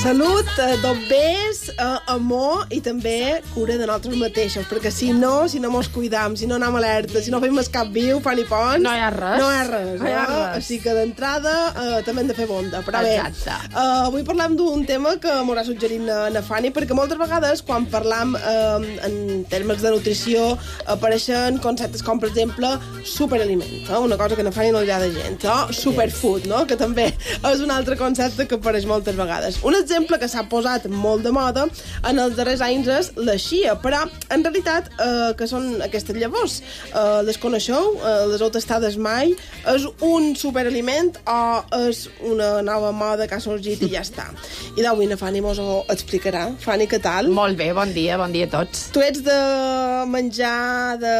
Salut, eh, dobbers, eh, amor i també cura de nosaltres mateixos, perquè si no, si no mos cuidam, si no anem alerta, si no fem el cap viu, Fanny Pons... No hi ha res. No hi ha res, no hi ha eh? res. Així que d'entrada eh, també hem de fer bonda. Però bé, exacte. Eh, avui parlem d'un tema que m'haurà suggerit na, na Fanny, perquè moltes vegades quan parlam eh, en termes de nutrició apareixen conceptes com, per exemple, superaliment, eh? Una cosa que na Fanny no li agrada gens, eh? Superfood, no? Que també és un altre concepte que apareix moltes vegades. Un exemple exemple, que s'ha posat molt de moda en els darrers anys és la chia, però en realitat eh, que són aquestes llavors? Eh, les coneixeu? Eh, les heu tastades mai? És un superaliment o és una nova moda que ha sorgit i ja està? I d'avui na Fanny mos ho explicarà. Fanny, què tal? Molt bé, bon dia, bon dia a tots. Tu ets de menjar, de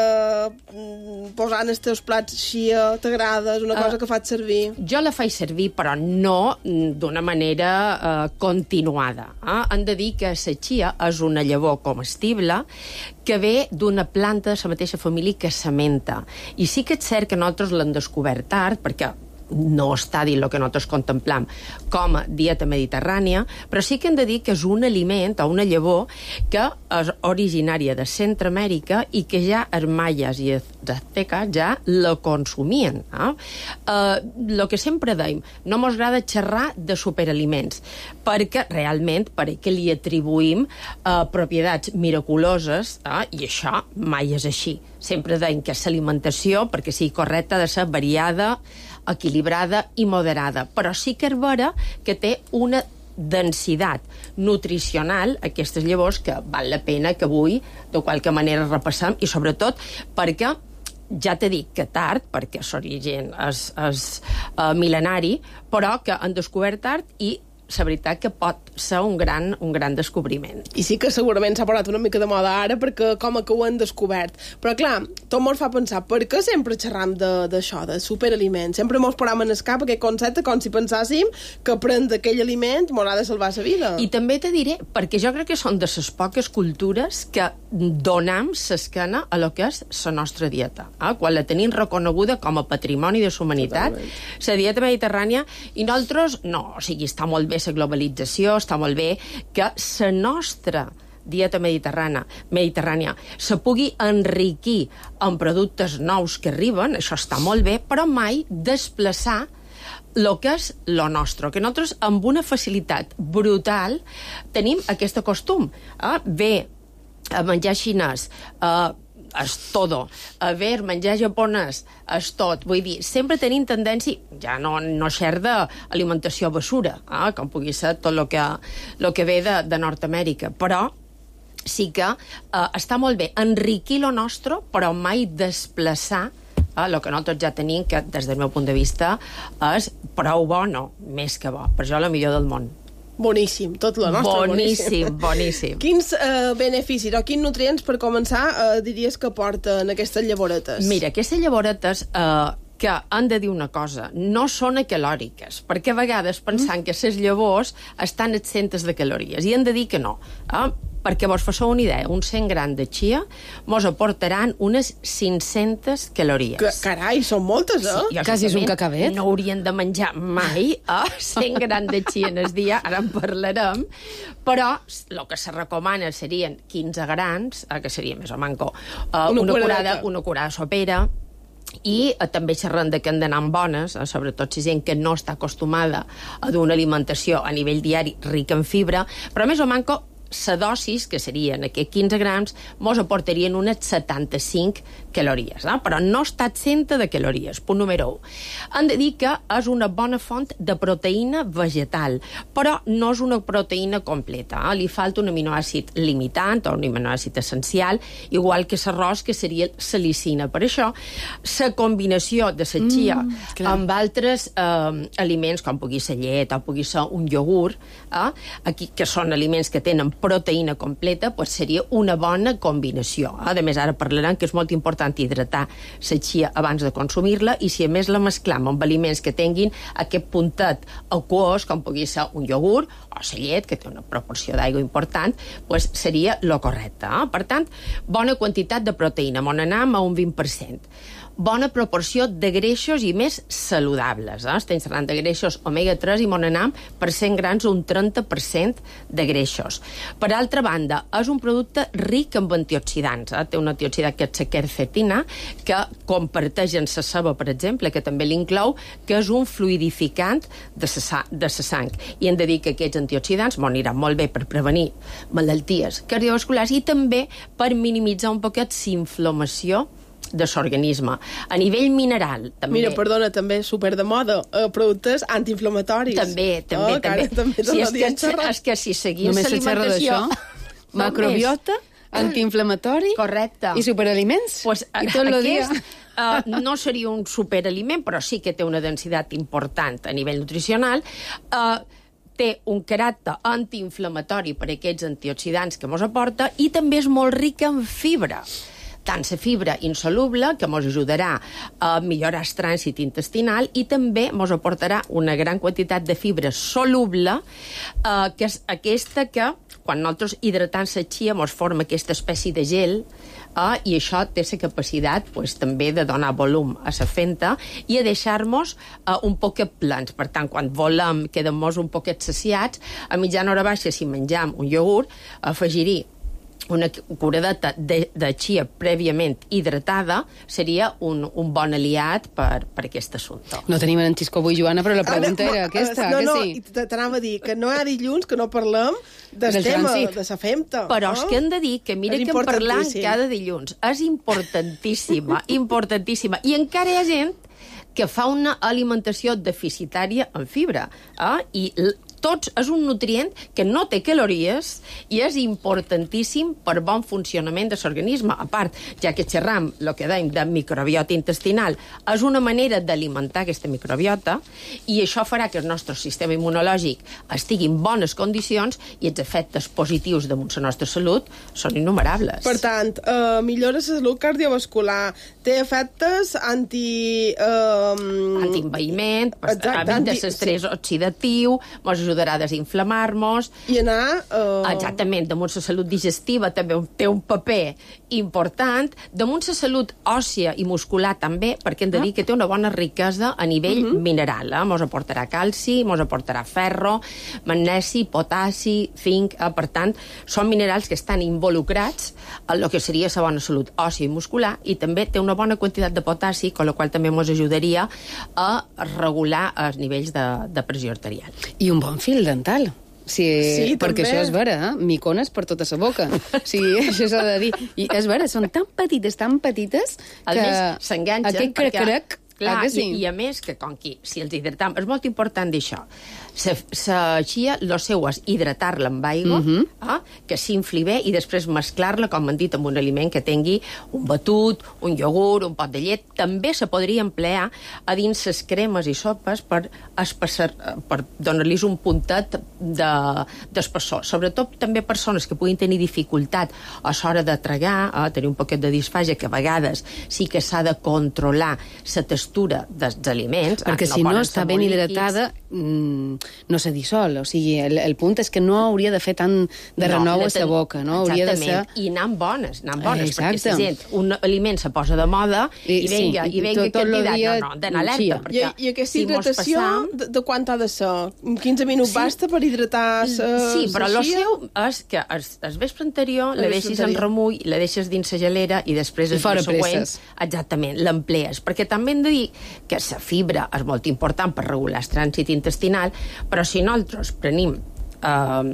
posar en els teus plats chia, t'agrada? És una cosa uh, que faig servir? Jo la faig servir, però no d'una manera uh, continuada. Eh? Hem de dir que la chia és una llavor comestible que ve d'una planta de la mateixa família que la menta. I sí que és cert que nosaltres l'hem descobert tard, perquè no està dins el que nosaltres contemplam com a dieta mediterrània, però sí que hem de dir que és un aliment o una llavor que és originària de Centroamèrica i que ja els maies i els azteques ja la consumien. Eh? Uh, lo que sempre dèiem, no mos agrada xerrar de superaliments, perquè realment perquè li atribuïm uh, propietats miraculoses, eh? I això mai és així. Sempre dèiem que l'alimentació, perquè sigui correcta, ha de ser variada, equilibrada i moderada, però sí que és vera que té una densitat nutricional, aquestes llavors, que val la pena que avui de qualque manera repassem, i sobretot perquè ja t'he dit que tard, perquè l'origen és, és uh, mil·lenari, però que han descobert tard i la veritat que pot ser un gran, un gran descobriment. I sí que segurament s'ha posat una mica de moda ara perquè com que ho han descobert. Però clar, tot mos fa pensar per què sempre xerram d'això, de, de superaliments? Sempre mos posam en el cap aquest concepte com si pensàssim que prendre aquell aliment mos ha de salvar la vida. I també te diré, perquè jo crec que són de les poques cultures que donam l'esquena a lo que és la nostra dieta. Eh? Quan la tenim reconeguda com a patrimoni de la humanitat, la dieta mediterrània, i nosaltres, no, o sigui, està molt bé la globalització, està molt bé que la nostra dieta mediterrània, mediterrània se pugui enriquir amb productes nous que arriben, això està molt bé, però mai desplaçar el que és lo nostre, que nosaltres amb una facilitat brutal tenim aquest costum. Eh? Bé, a menjar xinès, eh, és todo. A veure, menjar japonès és tot. Vull dir, sempre tenim tendència, ja no, no xer d'alimentació basura, eh? Com pugui ser tot el que, lo que ve de, de Nord-Amèrica, però sí que eh, està molt bé enriquir lo nostre, però mai desplaçar el eh, que nosaltres ja tenim, que des del meu punt de vista és prou bo, no, més que bo. Per això la millor del món. Boníssim, tot lo nostre. Boníssim, boníssim. Quins eh, beneficis o quins nutrients, per començar, eh, diries que porten aquestes llavoretes? Mira, aquestes llavoretes, eh, que han de dir una cosa, no són calòriques, perquè a vegades pensant mm. que les llavors estan exentes de calories, i han de dir que no. Eh? Perquè vos fasseu una idea, un cent grams de chia mos aportaran unes cinc-centes calories. Que, carai, són moltes, eh? Sí, quasi és un cacabet. No haurien de menjar mai eh, cent grams de chia en el dia, ara en parlarem, però el que se recomana serien quinze grams, eh, que seria més o manco, eh, una, una, curada, una curada sopera, i eh, també xerrem de que han d'anar bones, eh, sobretot si gent que no està acostumada a d'una alimentació a nivell diari rica en fibra, però més o manco la dosis, que serien aquests quinze grams, mos aportarien unes setanta-cinc calories, eh? Però no està exenta de calories. Punt número u. Hem de dir que és una bona font de proteïna vegetal, però no és una proteïna completa. Eh? Li falta un aminoàcid limitant o un aminoàcid essencial, igual que l'arròs, que seria la lisina. Per això, la combinació de la chia mm, amb altres eh, aliments, com pugui ser llet o pugui ser un iogurt, eh? Aquí, que són aliments que tenen proteïna completa, pues seria una bona combinació. A més, ara parlarem que és molt important hidratar la chia abans de consumir-la, i si a més la mesclam amb aliments que tinguin aquest puntet aquós, com pugui ser un iogurt o la llet, que té una proporció d'aigua important, pues seria lo correcte. Eh? Per tant, bona quantitat de proteïna, m'on anem a un vint per cent. Bona proporció de greixos i més saludables. Eh? Estem parlant de greixos omega tres i m'on anem per cent grams un trenta per cent de greixos. Per altra banda, és un producte ric en antioxidants. Eh? Té un antioxidant que és la quercetina, que comparteix en la ceba, per exemple, que també l'inclou, que és un fluidificant de la de sang. I hem de dir que aquests antioxidants m'aniran molt bé per prevenir malalties cardiovasculars i també per minimitzar un poquet la inflamació de l'organisme. A nivell mineral, també... Mira, perdona, també super de moda, eh, productes antiinflamatoris. També, també, oh, també. també sí, és, que, és que si seguís l'alimentació... Macrobiota, antiinflamatori... Correcte. I superaliments. Pues, I tot el dia... Uh, no seria un superaliment, però sí que té una densitat important a nivell nutricional. Uh, té un caràcter antiinflamatori per aquests antioxidants que ens aporta i també és molt rica en fibra. Tant la fibra insoluble, que ens ajudarà a millorar el trànsit intestinal, i també ens aportarà una gran quantitat de fibra soluble, eh, que és aquesta que, quan nosaltres hidratam la chia, ens forma aquesta espècie de gel, eh, i això té la capacitat pues, també de donar volum a la fenta i a deixar-nos eh, un poquet plans. Per tant, quan volem, quedem-nos un poquet saciats, a mitjana hora baixa, si menjam un iogurt, afegir-hi una curadeta de, de chia prèviament hidratada seria un, un bon aliat per, per aquest assumpte. No tenim en Xisco avui, Joana, però la pregunta Ara, era aquesta, no, que no, sí? No, t'anava a dir que no hi ha dilluns que no parlem del, del tema, trànsit. De la femta. Però no? és que hem de dir que mira que en parlant cada dilluns. És importantíssima, importantíssima. I encara hi ha gent que fa una alimentació deficitària en fibra. Eh? I tots és un nutrient que no té calories i és importantíssim per bon funcionament de l'organisme. A part, ja que xerram el que dèiem de microbiota intestinal, és una manera d'alimentar aquesta microbiota i això farà que el nostre sistema immunològic estigui en bones condicions i els efectes positius damunt la nostra salut són innumerables. Per tant, eh, millora la salut cardiovascular, té efectes anti... Eh, Antienvaïment, evita anti... l'estrès oxidatiu, ens ajudarà a desinflamar-nos. I anar... Uh... Exactament, damunt la salut digestiva també té un paper important, damunt la salut òssia i muscular també, perquè hem de dir que té una bona riquesa a nivell uh-huh. mineral. Eh? Mos aportarà calci, mos aportarà ferro, magnesi, potassi, zinc, eh? Per tant, són minerals que estan involucrats en el que seria la bona salut òssia i muscular, i també té una bona quantitat de potassi, amb la qual també ens ajudaria a regular els nivells de, de pressió arterial. I un bon fil dental. Sí, sí, perquè també. això és vera, eh? Micones per tota la boca. Sí, això s'ha de dir. I és vera, són tan petites, tan petites, que... A més, s'enganxen. Aquest crec-crec, clar, que sí? i, i a més, que com que si els hidratam, és molt important d'això. La chia, el seu és hidratar-la amb aigua, uh-huh. eh, que s'infli bé, i després mesclar-la, com han dit, amb un aliment que tingui un batut, un iogurt, un pot de llet. També se podria emplear a dins les cremes i sopes per, espessar, per donar-los un puntet d'espessor. De, Sobretot també persones que puguin tenir dificultat a l'hora de tragar, a tenir un poquet de disfàgia, que a vegades sí que s'ha de controlar la textura dels aliments. Perquè no si no està ben hidratada, mmm, no se dissol. O sigui, el, el punt és que no hauria de fer tant de renou no, a la boca, no? Hauria de ser... I anant bones, anant bones, Exacte. perquè la gent, un aliment se posa de moda i, i venga, sí, i venga tot, tot candidat, dia... no, no, d'anar alerta, perquè I, I aquesta si hidratació, passam... de, de quant ha de ser? quinze minuts sí. basta per hidratar sa, Sí, però el chia? seu és que el, el vespre anterior la deixis en remull, la deixes dins la gelera i després el dia següent, exactament, l'emplees, perquè també hem de dir que la fibra és molt important per regular el trànsit intestinal, però si nosaltres prenim uh,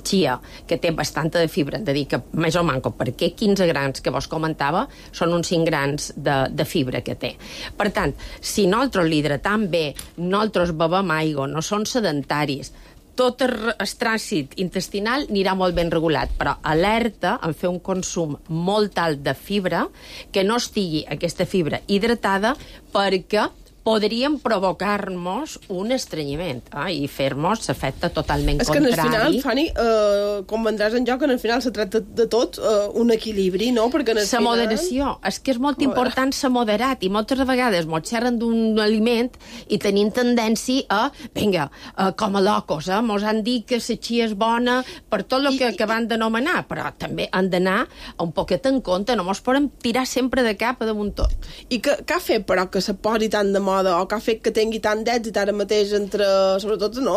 chia, que té bastanta de fibra, hem de dir que més o manco, perquè quinze grans que vos comentava són uns cinc grans de, de fibra que té. Per tant, si nosaltres l'hidratam bé, nosaltres bevem aigua, no són sedentaris, tot el trànsit intestinal anirà molt ben regulat, però alerta en fer un consum molt alt de fibra, que no estigui aquesta fibra hidratada, perquè podríem provocar-nos un estrenyiment eh, i fer-nos l'efecte totalment és contrari. És que al final, Fanny, eh, com vendràs en joc, en el final se tracta de tot eh, un equilibri, no? Perquè en el la final... moderació. És que és molt important ser moderat, i moltes vegades mos xerren d'un aliment i tenim tendència a, vinga, eh, com a locos, eh? Mos han dit que la chia és bona per tot el que acaben d'anomenar, però també han d'anar un poquet en compte, no mos podem tirar sempre de cap a damunt tot. I què ha fet, però, que se posi tant de moda o que ha fet que tingui tant d'èxit ara mateix entre, sobretot, no,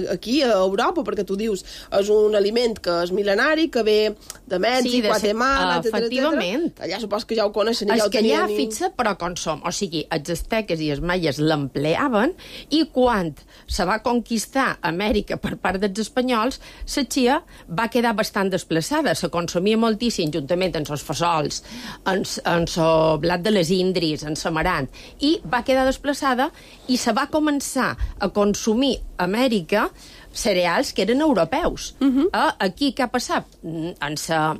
aquí a Europa, perquè tu dius, és un aliment que és mil·lenari, que ve de Mèxic, sí, Guatemala, uh, efectivament. etcètera. Allà supos que ja ho coneixen i és ja ho que tenien. allà, fixa, però com som. O sigui, els asteques i els maies l'empleaven i quan se va conquistar Amèrica per part dels espanyols, la chia va quedar bastant desplaçada. Se consumia moltíssim juntament amb els fasols, amb el blat de les indris, amb l'amarant, i va quedar desplaçada i se va començar a consumir a Amèrica cereals que eren europeus. Uh-huh. eh, aquí què ha passat? En la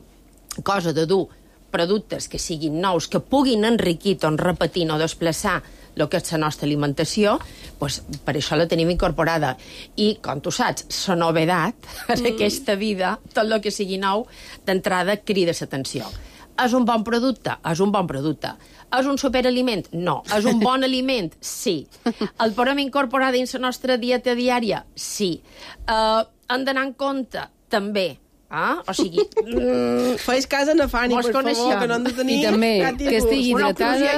cosa de dur productes que siguin nous, que puguin enriquir o repetir o desplaçar el que és la nostra alimentació, pues, per això la tenim incorporada. I, com tu saps, la novedat en mm. aquesta vida, tot el que sigui nou, d'entrada crida l'atenció. És un bon producte? És un bon producte. És un superaliment? No. És un bon aliment? Sí. El podem incorporar dins la nostra dieta diària? Sí. Uh, hem d'anar en compte? També. Ah, o sigui... Mm, Fais cas a na Fanny, per favor, que no hem de tenir... I també que estigui hidratada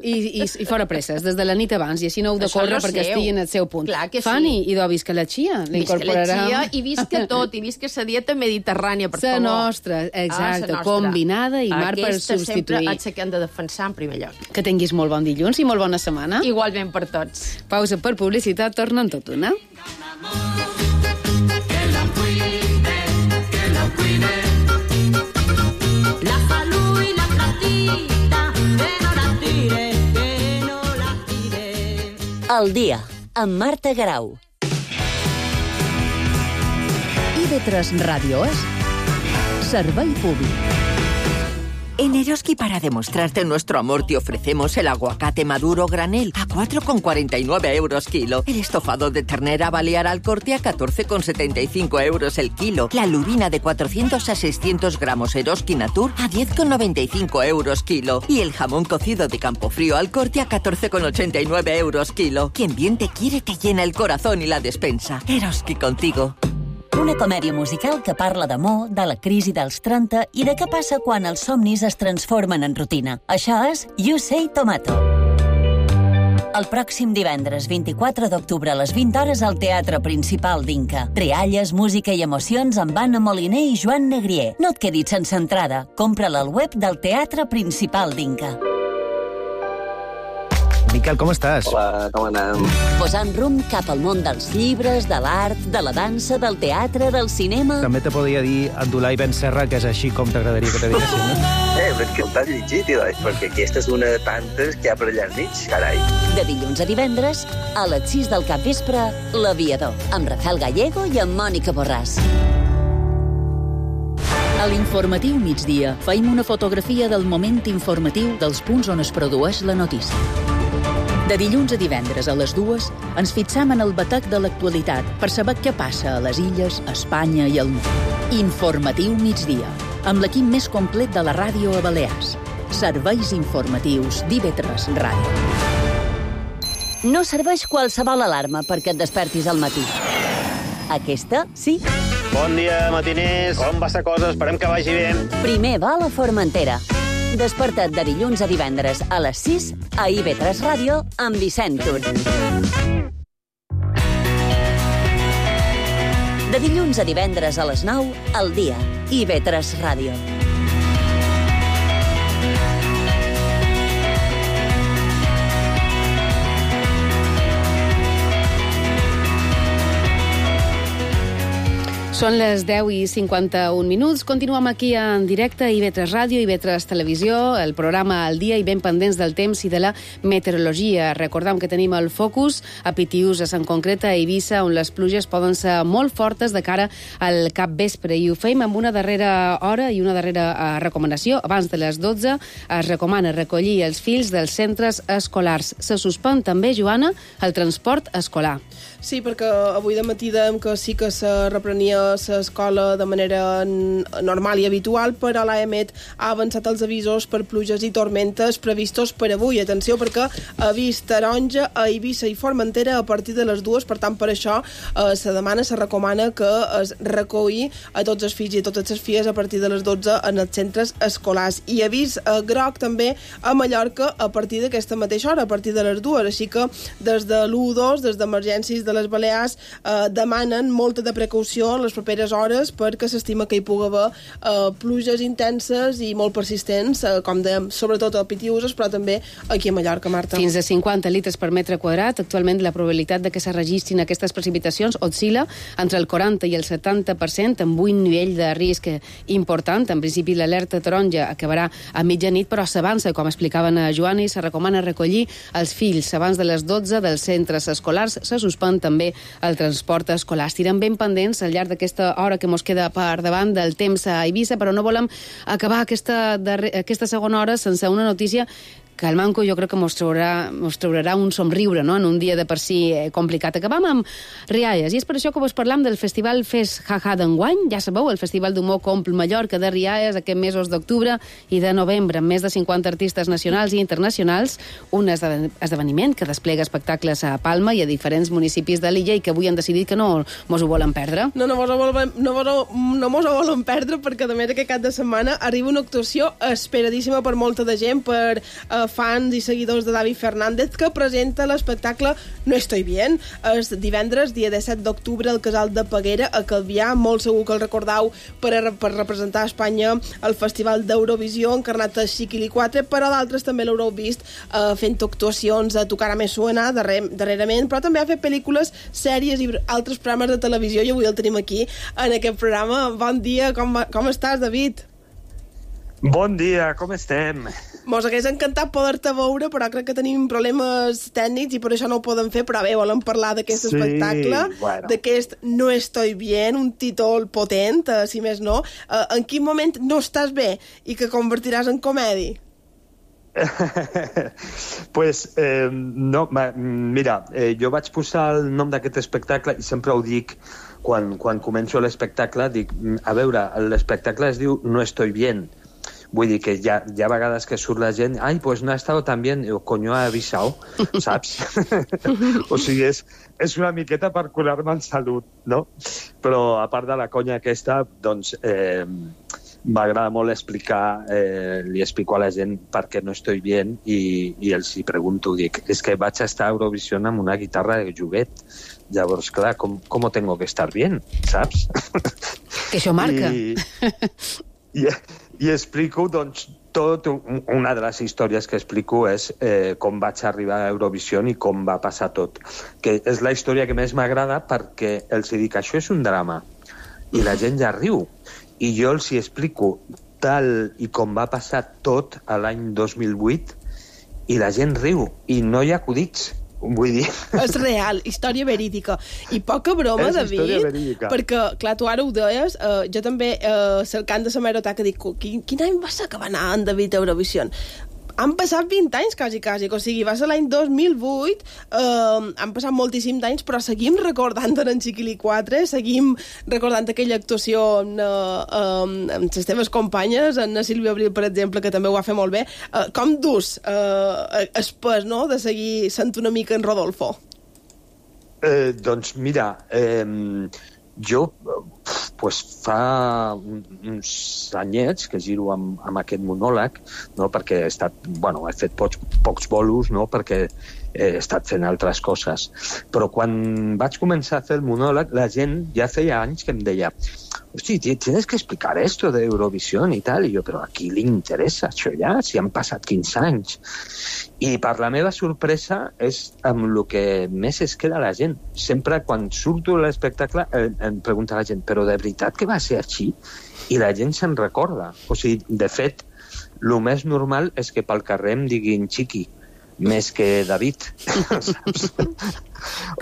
i, i, i fora presses, des de la nit abans, i així no heu de córrer perquè estigui en el seu punt. Clar que Fanny, sí. idò, visca la chia, l'incorporarà... Visca la chia i visca tot, i visca la dieta mediterrània, per sa favor. Nostra, exacte, ah, nostra, combinada i mar per substituir. Aquesta sempre és la que hem de defensar en primer lloc. Que tinguis molt bon dilluns i molt bona setmana. Igualment per tots. Pausa per publicitat, torna en tot una. La salud y la platita, que no la tire, que no la tire. El dia, amb Marta Garau. I ve tres Ràdio és servei públic. En Eroski, para demostrarte nuestro amor, te ofrecemos el aguacate maduro granel a cuatro con cuarenta y nueve euros kilo. El estofado de ternera balear al corte a catorce con setenta y cinco euros el kilo. La lubina de cuatrocientos a seiscientos gramos Eroski Natur a diez con noventa y cinco euros kilo. Y el jamón cocido de Campofrío al corte a catorce con ochenta y nueve euros kilo. Quien bien te quiere te llena el corazón y la despensa. Eroski contigo. Una comèdia musical que parla d'amor, de la crisi dels trenta i de què passa quan els somnis es transformen en rutina. Això és You Say Tomato. El pròxim divendres vint-i-quatre d'octubre a les vint hores al Teatre Principal d'Inca. Rialles, música i emocions amb Anna Moliner i Joan Negrier. No et quedis sense entrada. Compra-la al web del Teatre Principal d'Inca. Miquel, com estàs? Hola, com anem? Posant rumb cap al món dels llibres, de l'art, de la dansa, del teatre, del cinema... També te podria dir Abdulai Ben Serra, que és així com t'agradaria que te diguessin, no? Eh, però és que t'has llegit, tio, perquè aquesta és una de tantes que hi ha per allà al mig, carai. De dilluns a divendres, a les sis del capvespre, L'Aviador, amb Rafael Gallego i amb Mònica Borràs. A l'informatiu migdia feim una fotografia del moment informatiu dels punts on es produeix la notícia. De dilluns a divendres a les dues ens fixam en el batec de l'actualitat per saber què passa a les illes, a Espanya i al món. Informatiu migdia, amb l'equip més complet de la ràdio a Balears. Serveis informatius d'I V tres Ràdio. No serveix qualsevol alarma perquè et despertis al matí. Aquesta, sí. Bon dia, matiners. Com va la cosa? Esperem que vagi bé. Primer vol a Formentera. Desperta't de dilluns a divendres a les sis a I V tres Ràdio amb Vicent Tur. De dilluns a divendres a les nou, al dia, I V tres Ràdio. Són les deu i cinquanta-un minuts. Continuem aquí en directe a I V tres Ràdio, I V tres Televisió, el programa al dia i ben pendents del temps i de la meteorologia. Recordem que tenim el focus a Pitiüses, en concret a Eivissa, on les pluges poden ser molt fortes de cara al capvespre. I ho fem amb una darrera hora i una darrera uh, recomanació. Abans de les dotze es recomana recollir els fills dels centres escolars. Se suspèn també, Joana, el transport escolar. Sí, perquè avui de matí dèiem que sí que se reprenia l'escola de manera normal i habitual, però l'AEMET ha avançat els avisos per pluges i tormentes previstos per avui. Atenció, perquè avís taronja a Eivissa i Formentera a partir de les dues, per tant, per això eh, se demana, se recomana que es recolli a tots els fills i a totes les filles a partir de les dotze en els centres escolars. I avís eh, groc també a Mallorca a partir d'aquesta mateixa hora, a partir de les dues. Així que des de l'u dos, des d'emergències de les Balears, eh, demanen molta de precaució en les properes hores perquè s'estima que hi pugui haver eh, pluges intenses i molt persistents, eh, com dèiem, sobretot a Pitiuses, però també aquí a Mallorca, Marta. Fins a cinquanta litres per metre quadrat. Actualment la probabilitat de que se registrin aquestes precipitacions oscil·la entre el quaranta i el setanta per cent, amb un nivell de risc important. En principi l'alerta taronja acabarà a mitjanit, però s'avança, com explicaven a Joan, i se recomana recollir els fills abans de les dotze dels centres escolars. Se suspèn també el transport escolar. Estirem ben pendents al llarg d'aquesta hora que mos queda per davant del temps a Eivissa, però no volem acabar aquesta, darrer, aquesta segona hora sense una notícia que el Manco jo crec que mos traurà, mos traurà un somriure, no?, en un dia de per si eh, complicat. Acabam amb Rialles, i és per això que vos parlam del Festival Fes Jaja d'enguany. Ja sabeu, el Festival d'Humor Compl Mallorca de Rialles aquests mesos d'octubre i de novembre, amb més de cinquanta artistes nacionals i internacionals, un esdeveniment que desplega espectacles a Palma i a diferents municipis de l'illa i que avui han decidit que no mos ho volen perdre. No, no mos ho volen, no mos ho, no mos ho volen perdre, perquè a més aquest cap de setmana arriba una actuació esperadíssima per molta de gent, per eh, fans i seguidors de David Fernández, que presenta l'espectacle No estoy bien. És divendres, dia disset d'octubre, al Casal de Peguera, a Calvià. Molt segur que el recordau per, a, per representar a Espanya al Festival d'Eurovisió, encarnat a Chiquili quatre, però d'altres també l'haureu vist eh, fent actuacions a Tocar a Me Suena darrer, darrerament, però també ha fet pel·lícules, sèries i altres programes de televisió, i avui el tenim aquí en aquest programa. Bon dia, com, com estàs, David? Bon dia, com estem? Mos hagués encantat poder-te veure, però crec que tenim problemes tècnics i per això no ho podem fer, però bé, volem parlar d'aquest sí, espectacle, bueno. d'aquest No estoy bien, un títol potent, eh, si més no. Eh, en quin moment no estàs bé i que convertiràs en comèdia? pues, eh, no, mira, eh, jo vaig posar el nom d'aquest espectacle i sempre ho dic quan, quan començo l'espectacle, dic, a veure, l'espectacle es diu No estoy bien. Vull dir que hi ha, hi ha vegades que surt la gent, ai, pues no ha estado tan bien, o coño ha avisado, saps? O sigui, és, és una miqueta per curar-me en salut, no? Però a part de la conya aquesta, doncs eh, m'agrada molt explicar, eh, li explico a la gent per què no estoy bien i, i els hi pregunto, dic, és que vaig estar a Eurovisió amb una guitarra de joguet. Llavors, clar, com, com tengo que estar bien, saps? Que això marca. I, i, i explico, doncs, tot, una de les històries que explico és eh, com vaig arribar a Eurovisió i com va passar tot. Que és la història que més m'agrada perquè els dic, això és un drama. I la gent ja riu. I jo els hi explico tal i com va passar tot a l'any dos mil vuit i la gent riu. I no hi ha acudits. Vull dir... És real, història verídica. I poca broma, és David, perquè, clar, tu ara ho deies, eh, jo també, eh, cercant de la meroteca, dic, quin, quin any va ser que va anar en David a Eurovisió? Han passat vint anys, quasi, quasi, o sigui, va ser l'any dos mil vuit, eh, han passat moltíssims d'anys, però seguim recordant en Chiquili quatre, seguim recordant aquella actuació amb, eh, amb les teves companyes, en Sílvia Abril, per exemple, que també ho va fer molt bé. Eh, com dus eh, el pes, no?, de seguir sent una mica en Rodolfo? Eh, doncs mira, eh, jo pues, fa uns anyets que giro amb, amb aquest monòleg, no? Perquè he estat, bueno, he fet pocs, pocs bolos, no? Perquè he estat fent altres coses. Però quan vaig començar a fer el monòleg, la gent ja feia anys que em deia, hosti, tienes que explicar esto de Eurovisión i tal, i jo, però a qui li interessa això ja, si han passat quinze anys? I per la meva sorpresa és amb el que més es queda la gent. Sempre quan surto a l'espectacle eh, em pregunta la gent, però de veritat que va ser així? I la gent se'n recorda. O sigui, de fet, el més normal és que pel carrer em diguin Chiqui, més que David, saps?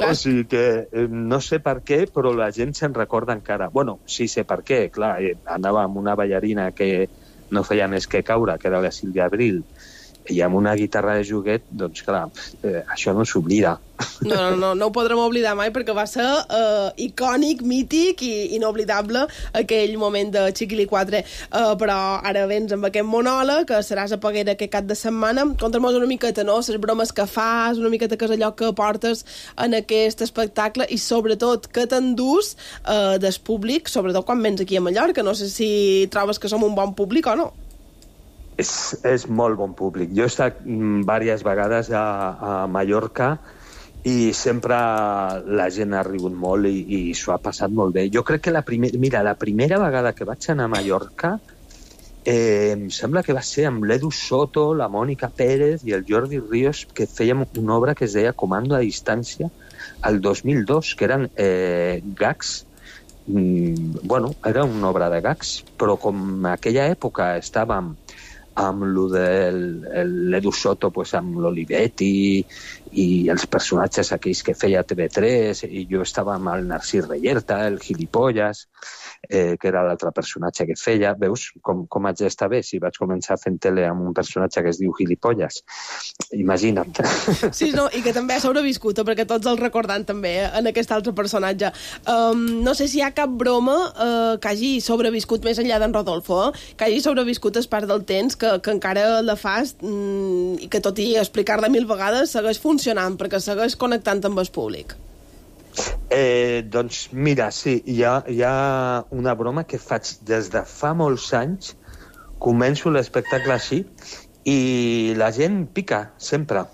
O sigui que eh, no sé per què, però la gent se'n recorda encara. Bueno, sí sé per què, clar, eh, anava amb una ballarina que no feia més que caure, que era la Sílvia Abril, I amb una guitarra de joguet, doncs clar, eh, això no s'oblida. No, no, no, no ho podrem oblidar mai perquè va ser eh, icònic, mític i inoblidable aquell moment de Chiquili quatre. Eh, però ara vens amb aquest monòleg, que seràs a Peguera aquest cap de setmana. Conta'm-nos una miqueta, no?, les bromes que fas, una miqueta que és allò que portes en aquest espectacle i sobretot que t'endús eh, del públic, sobretot quan vens aquí a Mallorca. No sé si trobes que som un bon públic o no. És, és molt bon públic. Jo he estat diverses vegades a, a Mallorca i sempre la gent ha rigut molt i, i s'ho ha passat molt bé. Jo crec que la, primer, mira, la primera vegada que vaig anar a Mallorca eh, em sembla que va ser amb l'Edu Soto, la Mònica Pérez i el Jordi Ríos, que fèiem una obra que es deia Comando a distància el dos mil dos, que eren eh, gags. Mm, bueno, era una obra de gags, però com en aquella època estàvem amb lo de l'Edu Soto, pues, amb l'Olivetti i els personatges aquells que feia T V tres, i jo estava amb el Narcís Reyerta, el Gilipollas, eh, que era l'altre personatge que feia. Veus com, com haig d'estar bé si vaig començar fent tele amb un personatge que es diu Gilipollas? Imagina't. Sí, no, i que també ha sobreviscut, perquè tots el recordant també eh, en aquest altre personatge. Um, no sé si hi ha cap broma uh, que hagi sobreviscut més enllà d'en Rodolfo, eh? Que hagi sobreviscut es part del temps, que, que encara la fas mm, i que tot i explicar-la mil vegades segueix funcionant, perquè segueix connectant amb el públic. Eh, doncs mira, sí, hi ha, hi ha una broma que faig des de fa molts anys. Començo l'espectacle així i la gent pica, sempre.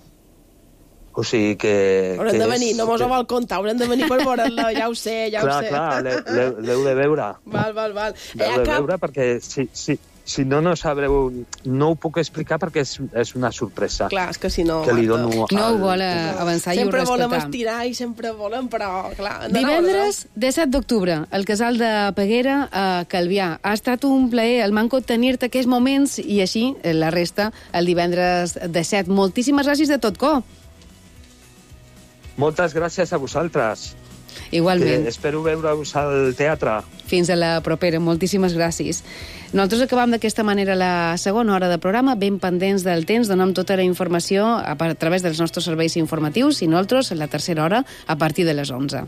O sigui que... Haurem que de venir, és, no mos que... ho vol contar, haurem de venir per veure-la, ja ho sé, ja clar, ho sé. Clar, clar, l'heu de veure. Val, val, val. L'heu Eh, de cap... veure perquè si, si, si no, no sabreu... No ho puc explicar perquè és, és una sorpresa. Clar, és que si no... Que li dono No al... ho vol avançar i ho Sempre volem respectar. estirar i sempre volem, però, clar... Divendres, disset d'octubre, al Casal de Peguera, a Calvià. Ha estat un plaer, el manco, tenir-te aquests moments i així, la resta, el divendres disset. Moltíssimes gràcies de tot cor. Moltes gràcies a vosaltres. Igualment. Que espero veure-us al teatre. Fins a la propera. Moltíssimes gràcies. Nosaltres acabam d'aquesta manera la segona hora de programa, ben pendents del temps, donem tota la informació a, a través dels nostres serveis informatius i nosaltres, la tercera hora, a partir de les onze.